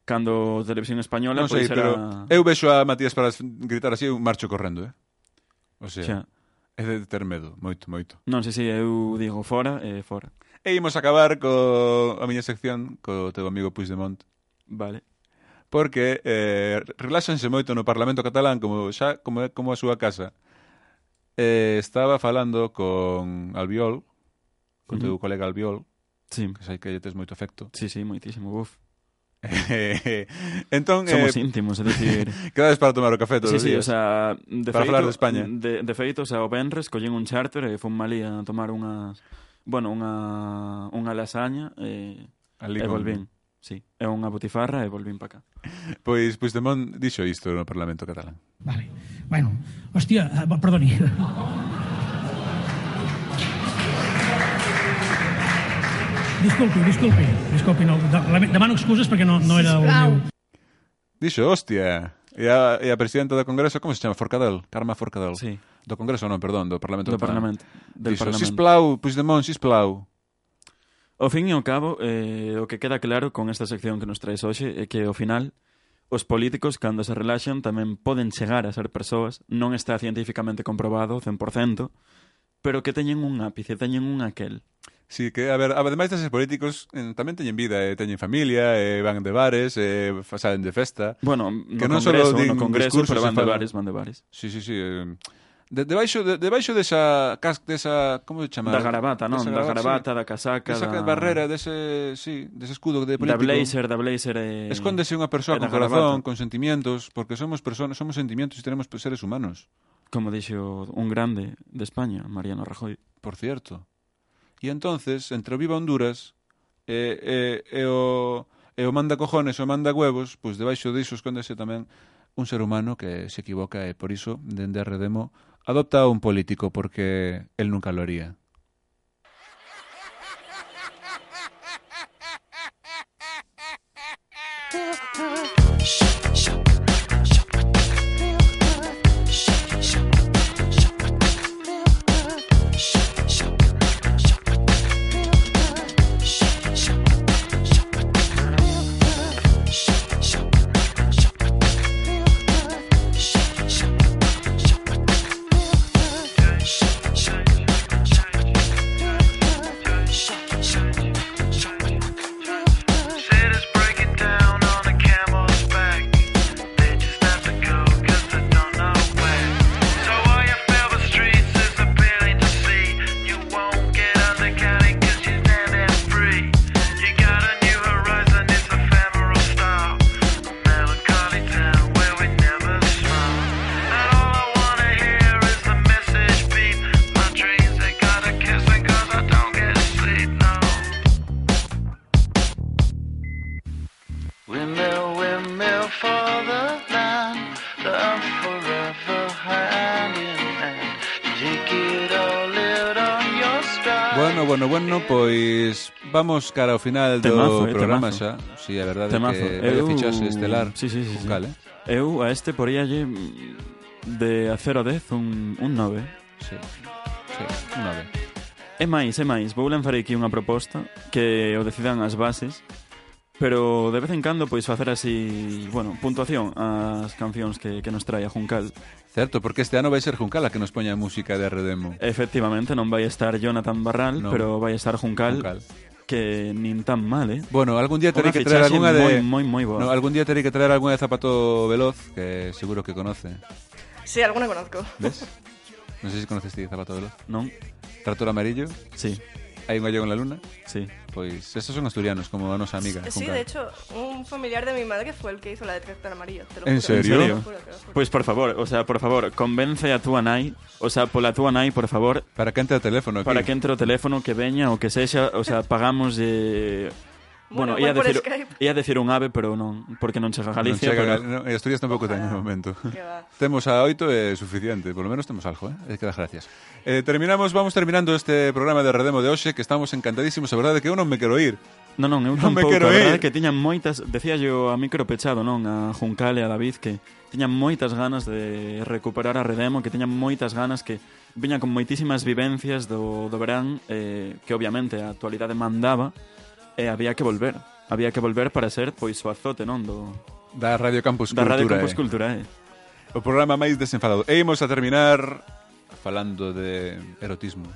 Cando Televisión Española... Non sei, pero eu vexo a Matías para gritar así, eu marcho correndo, O sea, é de ter medo, moito. Non sei se eu digo fora, fora. E imos acabar a miña sección co teu amigo Puigdemont. Vale. Porque reláxanse moito no Parlamento catalán, como a súa casa. Estaba falando con Albiol, con teu colega Albiol, que sei que lle tes moito afecto. Sí, moitísimo, buf. Entón, somos íntimos, é dicir... Quedades para tomar o café todos os días. O sea, para falar de España. De feito, o sea, o venres collín un charter e fun malí a tomar unha lasaña e volvín. Sí, é unha botifarra e volvín para cá. Pois Puigdemont dixo isto no Parlamento catalán. Vale, bueno, hostia, perdoni. Disculpi, no, demano excuses perquè no era el meu... Dixo, hostia, e a presidenta do Congreso, como se chama? Forcadell? Carme Forcadell? Sí. Do Congreso non, perdón, do Parlamento. Do Parlamento. Dixo, sisplau, Puigdemont, sisplau. Ao fin e ao cabo, o que queda claro con esta sección que nos traes hoxe é que, ao final, os políticos, cando se relaxan, tamén poden chegar a ser persoas, non está científicamente comprobado, 100%, pero que teñen un ápice, teñen un aquel. Sí, que, a ver, ademais deses políticos tamén teñen vida, teñen familia, van de bares, salen de festa. Bueno, que non no congreso, pero van de bares. Sí. Debaixo desa como se chama? Da garabata, non? Da garabata, da casaca, desa barrera, dese escudo de político. Da blazer escóndese unha persoa con corazón, con sentimientos, porque somos personas, somos sentimientos e tenemos seres humanos. Como dixo un grande de España, Mariano Rajoy. Por cierto. E entonces, entre o Viva Honduras e o manda cojones o manda huevos, pois debaixo diso escóndese tamén un ser humano que se equivoca e por iso, dende a Redemo, adopta a un político porque él nunca lo haría. Bueno, pois vamos cara ao final do programa xa. Si, a verdade é que vai fichaxe estelar Juncal, Eu a este poríalle de a 0 a 10 un 9. Sí, un 9. É máis, vou lanzar aquí unha proposta que o decidan as bases, pero de vez en cando pois facer así, puntuación ás cancións que nos trae a Juncal. Certo, porque este ano vai ser Juncal a que nos poña a música de Redemo. Efectivamente, non vai estar Jonathan Barral, pero vai estar Juncal. Que nin tan mal, Bueno, algún día terei que traer algunha de... moi boa. No, algún día terei que traer algunha de Zapato Veloz, que seguro que conoce. Sí, alguna conozco. ¿Ves? Non sei se conoces ti Zapato Veloz. Non. Tractor Amarillo. Sí. Hai un gallego en la luna. Sí. Pois estos son asturianos, como a nosa amiga. Sí, de hecho, un familiar de mi madre fue el que hizo la de Tractor Amarillo. Te lo ¿En juro. serio? Te lo juro. Pois por favor, convence a túa nai, pola túa nai, por favor. Para que entre o teléfono aquí. Para que entre o teléfono, que veña, o que sexa, pagamos Bueno, ia decir un ave, pero non, porque non chega a Galicia. E Asturias tampouco ten no momento. Temos a 8 é suficiente, por lo menos temos algo, é que dá gracias. Vamos terminando este programa de Redemo de hoxe, que estamos encantadísimos, a verdade que eu non me quero ir. Non, eu tampouco, a verdade que tiñan moitas, decía yo a micro pechado, non, a Juncal e a David, que tiñan moitas ganas de recuperar a Redemo, que tiñan moitas ganas, que viñan con moitísimas vivencias do verán, que obviamente a actualidade mandaba, e había que volver para ser pois o azote, non, da Radio Campus Cultura. O programa máis desenfadado. E imos a terminar falando de erotismo.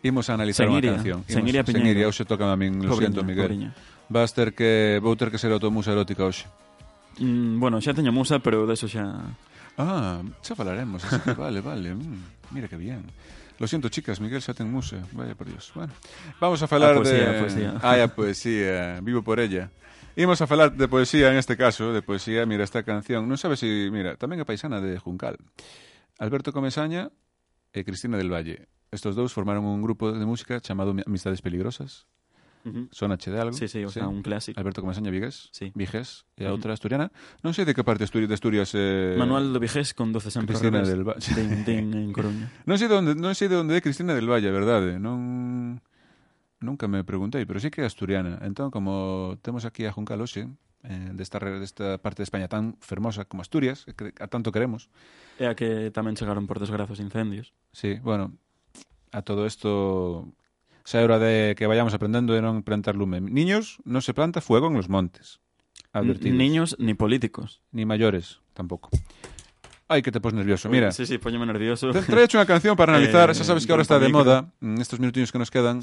Imos a analizar unha canción. Sengiria Piñeiro. Hoxe toca a min, lo siento, Miguel. Vou ter que ser automusa erótica hoxe. Xa teño musa, pero deso xa... Xa falaremos, así que vale. Mira que bien. Lo siento, chicas, Miguel xa ten musa. Vaya por Dios. Bueno, vamos a falar poesía. A poesía, vivo por ella. Imos a falar de poesía, en este caso, de poesía. Mira, esta canción, non sabes se... Mira, tamén é paisana de Juncal. Alberto Comesaña e Cristina del Valle. Estos dous formaron un grupo de música chamado Amistades Peligrosas. Sonache de algo? Sí, o sea, un clásico. Alberto Comesaña Vigués, Vigués e a outra asturiana. Non sei de que parte de Asturias Manuel do Vigués con 12 sempre Cristina del Valle. En Coruña. Non sei de onde é Cristina del Valle, a verdade. Nunca me preguntei, pero sí que é asturiana. Entón, como temos aquí a Juncal hoxe, desta parte de España tan fermosa como Asturias, que a tanto queremos. E a que tamén chegaron por desgrazos incendios. Sí, bueno, a todo isto... Xa é hora de que vayamos aprendendo de non plantar lume. Niños, non se planta fuego en los montes. Advertidos. Niños ni políticos. Ni mayores, tampouco. Ai, que te pos nervioso. Mira. Sí, póñeme nervioso. Trae hecho unha canción para analizar. Xa sabes que ahora está de moda, estos minutinhos que nos quedan,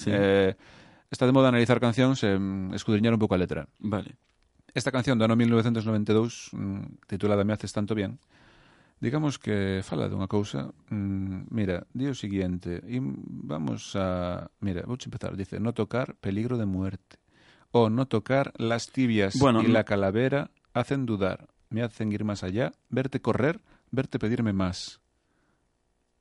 está de moda analizar cancións e escudriñar un pouco a letra. Vale. Esta canción do ano 1992, titulada Me haces tanto bien, digamos que fala dunha cousa. Mira, di o seguinte, vamos a... Mira, vou empezar, dice, no tocar, peligro de muerte. O no tocar, las tibias y la calavera hacen dudar, me hacen ir más allá, verte correr, verte pedirme más.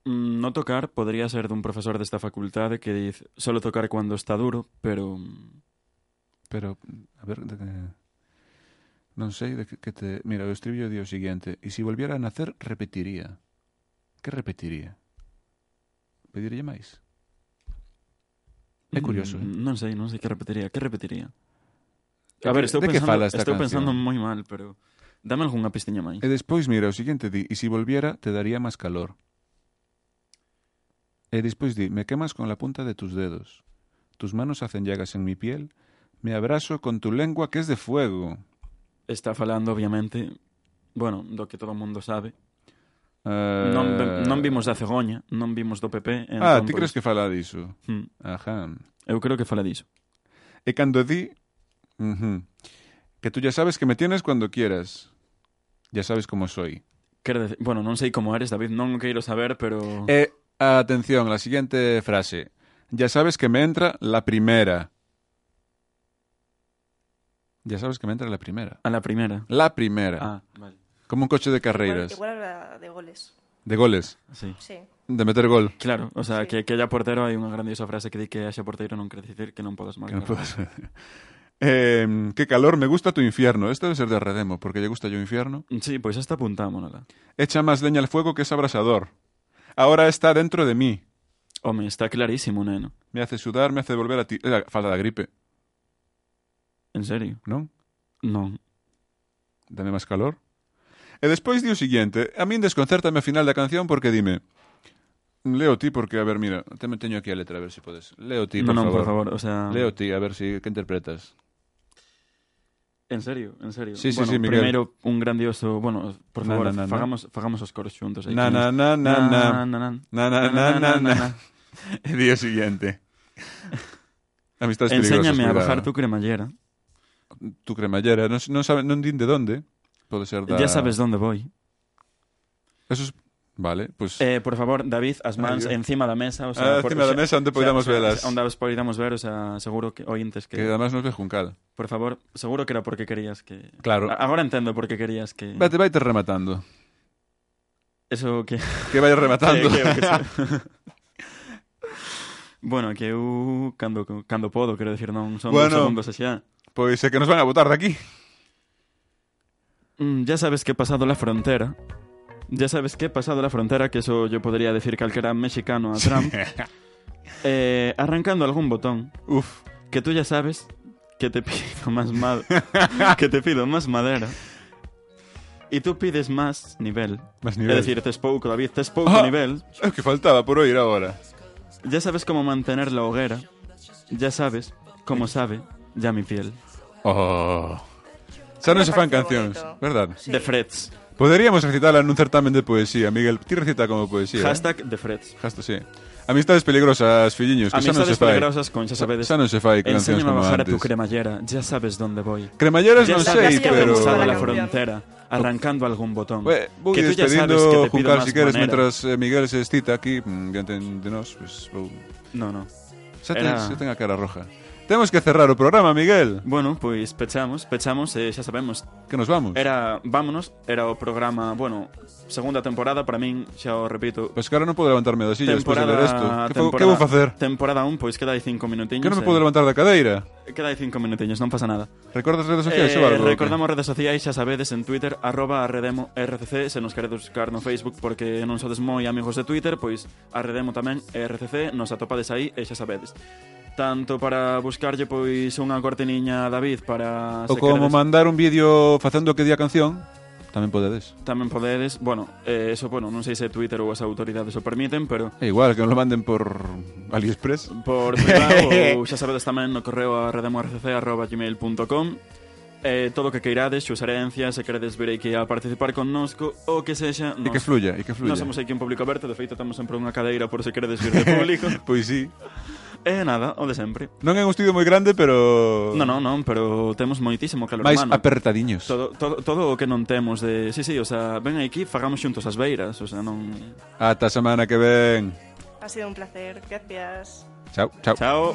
No tocar podría ser dun profesor desta facultade que dice, solo tocar cuando está duro, pero... a ver... Non sei de que te... Mira, o estribillo di o seguinte. E se volviera a nacer, repetiría. Que repetiría? Pedirlle máis? É curioso, Non sei que repetiría. Que repetiría? A ver, estou pensando moi mal, pero... Dame algunha pistiña máis. E despois, mira, o seguinte di. E se volviera, te daría máis calor. E despois di. Me quemas con la punta de tus dedos. Tus manos hacen llagas en mi piel. Me abrazo con tu lengua que es de fuego. Está falando, obviamente, do que todo o mundo sabe. Non vimos da cegoña, non vimos do PP. Ti crees que fala diso? Ajá. Eu creo que fala diso. E cando di que tú ya sabes que me tienes cuando quieras. Ya sabes como soy. Quero decir, non sei como eres, David, non quero saber, pero... Atención, la siguiente frase. Ya sabes que me entra la primera. Ya sabes que me entra la primera. A la primera. La primera. Vale. Como un coche de carreiras. Igual era de goles. De goles? Sí. De meter gol. Claro, o sea, que haya portero, hai unha grandiosa frase que di que haxa portero non quere dicir que non podas marcar. Qué calor, me gusta tu infierno. Esto debe ser de Redemo, porque lle gusta yo infierno. Sí, pois esta apuntámonos. Echa más leña al fuego que es abrasador. Ahora está dentro de mí. Home, está clarísimo, neno. Me hace sudar, me hace volver a ti... falta da gripe. En serio? Non? Non. Dame máis calor. E despois di o seguinte, a min desconcértame a final da canción porque dime, leo ti porque, a ver, mira, teño aquí a letra, a ver se podes. Leo ti, por favor. Non, por favor, o sea... Leo ti, a ver si que interpretas. En serio, en serio. Sí, bueno, sí, Miguel. Primeiro, un grandioso... Bueno, por favor, fagamos os coros xuntos. Na, na, na, na, na. Na, na, na, na, na. E di o seguinte. Amistades perigosas. Enséñame a bajar tu cremallera. Tu cremallera, non din de donde. Pode ser da... Ya sabes donde voy. Eso es... Vale, pues... por favor, David, as mans encima da mesa, o sea, encima da mesa onde podamos velas. Onde podamos ver, o sea, seguro que ointes que además nos ve Juncal. Por favor, seguro que era porque querías que... Claro. Agora entendo por que querías que... Vaite rematando. Eso que... Que vai rematando. Bueno, que eu cando podo, quero decir, non son 2 segundos xa. Pois é que nos van a botar de aquí. Ya sabes que he pasado la frontera. Ya sabes que he pasado la frontera, que eso yo podría decir calquera mexicano a Trump. Arrancando algún botón. Uf. Que tú ya sabes que te pido más que te pido más madera. Y tú pides más nivel. Más nivel. Es decir, tes pouco, David, tes pouco nivel. Es que faltaba por oír ahora. Ya sabes cómo mantener la hoguera. Ya sabes cómo sabe ya mi piel. Oh. Xa non se fan cancións, verdad? Sí. De Freds. Poderíamos recitarla nun certamen de poesía, Miguel. Ti recita como poesía. Hashtag de Freds. Hashtag, sí. Amistades peligrosas, filliños, que xa non se fai. Amistades peligrosas, con xa sabedes. Xa non se fai cancións como antes. Enséñame a bajar a tu cremallera, ya sabes dónde voy. Cremalleras non sei, pero... Ya sabes la frontera, arrancando algún botón. Vou que tú ya sabes despedindo, que te pido Juncal, más si queres, manera. mentras Miguel se excita aquí, diante de nós, pues, vou... No. Xa ten a cara roja. Temos que cerrar o programa, Miguel. Bueno, pois pechamos, xa sabemos. Que nos vamos? Vámonos, era o programa, bueno, segunda temporada, para min, xa o repito. Pois que ahora non podo levantarme da silla despois de ler isto. Que vou facer? Temporada 1, pois queda aí 5 minutiños. Que non me podo levantar da cadeira? Queda aí 5 minutiños, non pasa nada. Recordas redes sociais ou algo? Recordamos redes sociais, xa sabedes, en Twitter, @arredemo_rcc, se nos queredes buscar no Facebook porque non sodes moi amigos de Twitter, pois arredemo tamén RCC, nos atopades aí e xa sabedes. Tanto para buscarlle pois unha cortiniña a David para... Ou como mandar un vídeo facendo que di a canción, tamén podedes. Tamén podedes, bueno, eso, bueno, non sei se Twitter ou as autoridades o permiten, pero... É igual, que nos lo manden por AliExpress. Por privado, ou xa sabedes tamén no correo arredemorcc@gmail.com. Todo o que queirades, suxerencias, se queredes vir aquí a participar connosco, ou que sexa... E que fluya, e que fluya. Nos somos aquí un público aberto, de feito temos sempre unha cadeira por se queredes vir de público. Pois sí. E nada, o de sempre. Non é un estudio moi grande, pero... Non, pero temos moitísimo calor máis humano. apertadiños. Todo o que non temos de... Sí, o sea, ven aquí, fagamos xuntos as beiras, o sea, non... Ata a semana que ven. Ha sido un placer, gracias. Chao. Chao.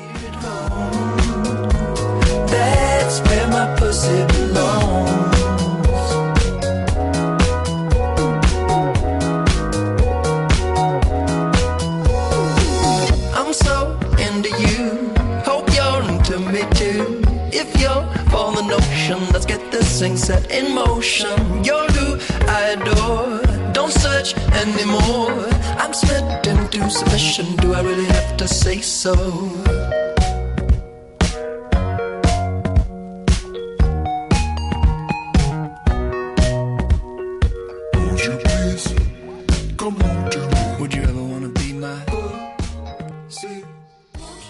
That's where my pussy belongs. So into you, hope you're into me too. If you're for the notion, let's get this thing set in motion. You're who I adore, don't search anymore. I'm smitten to submission, do I really have to say so?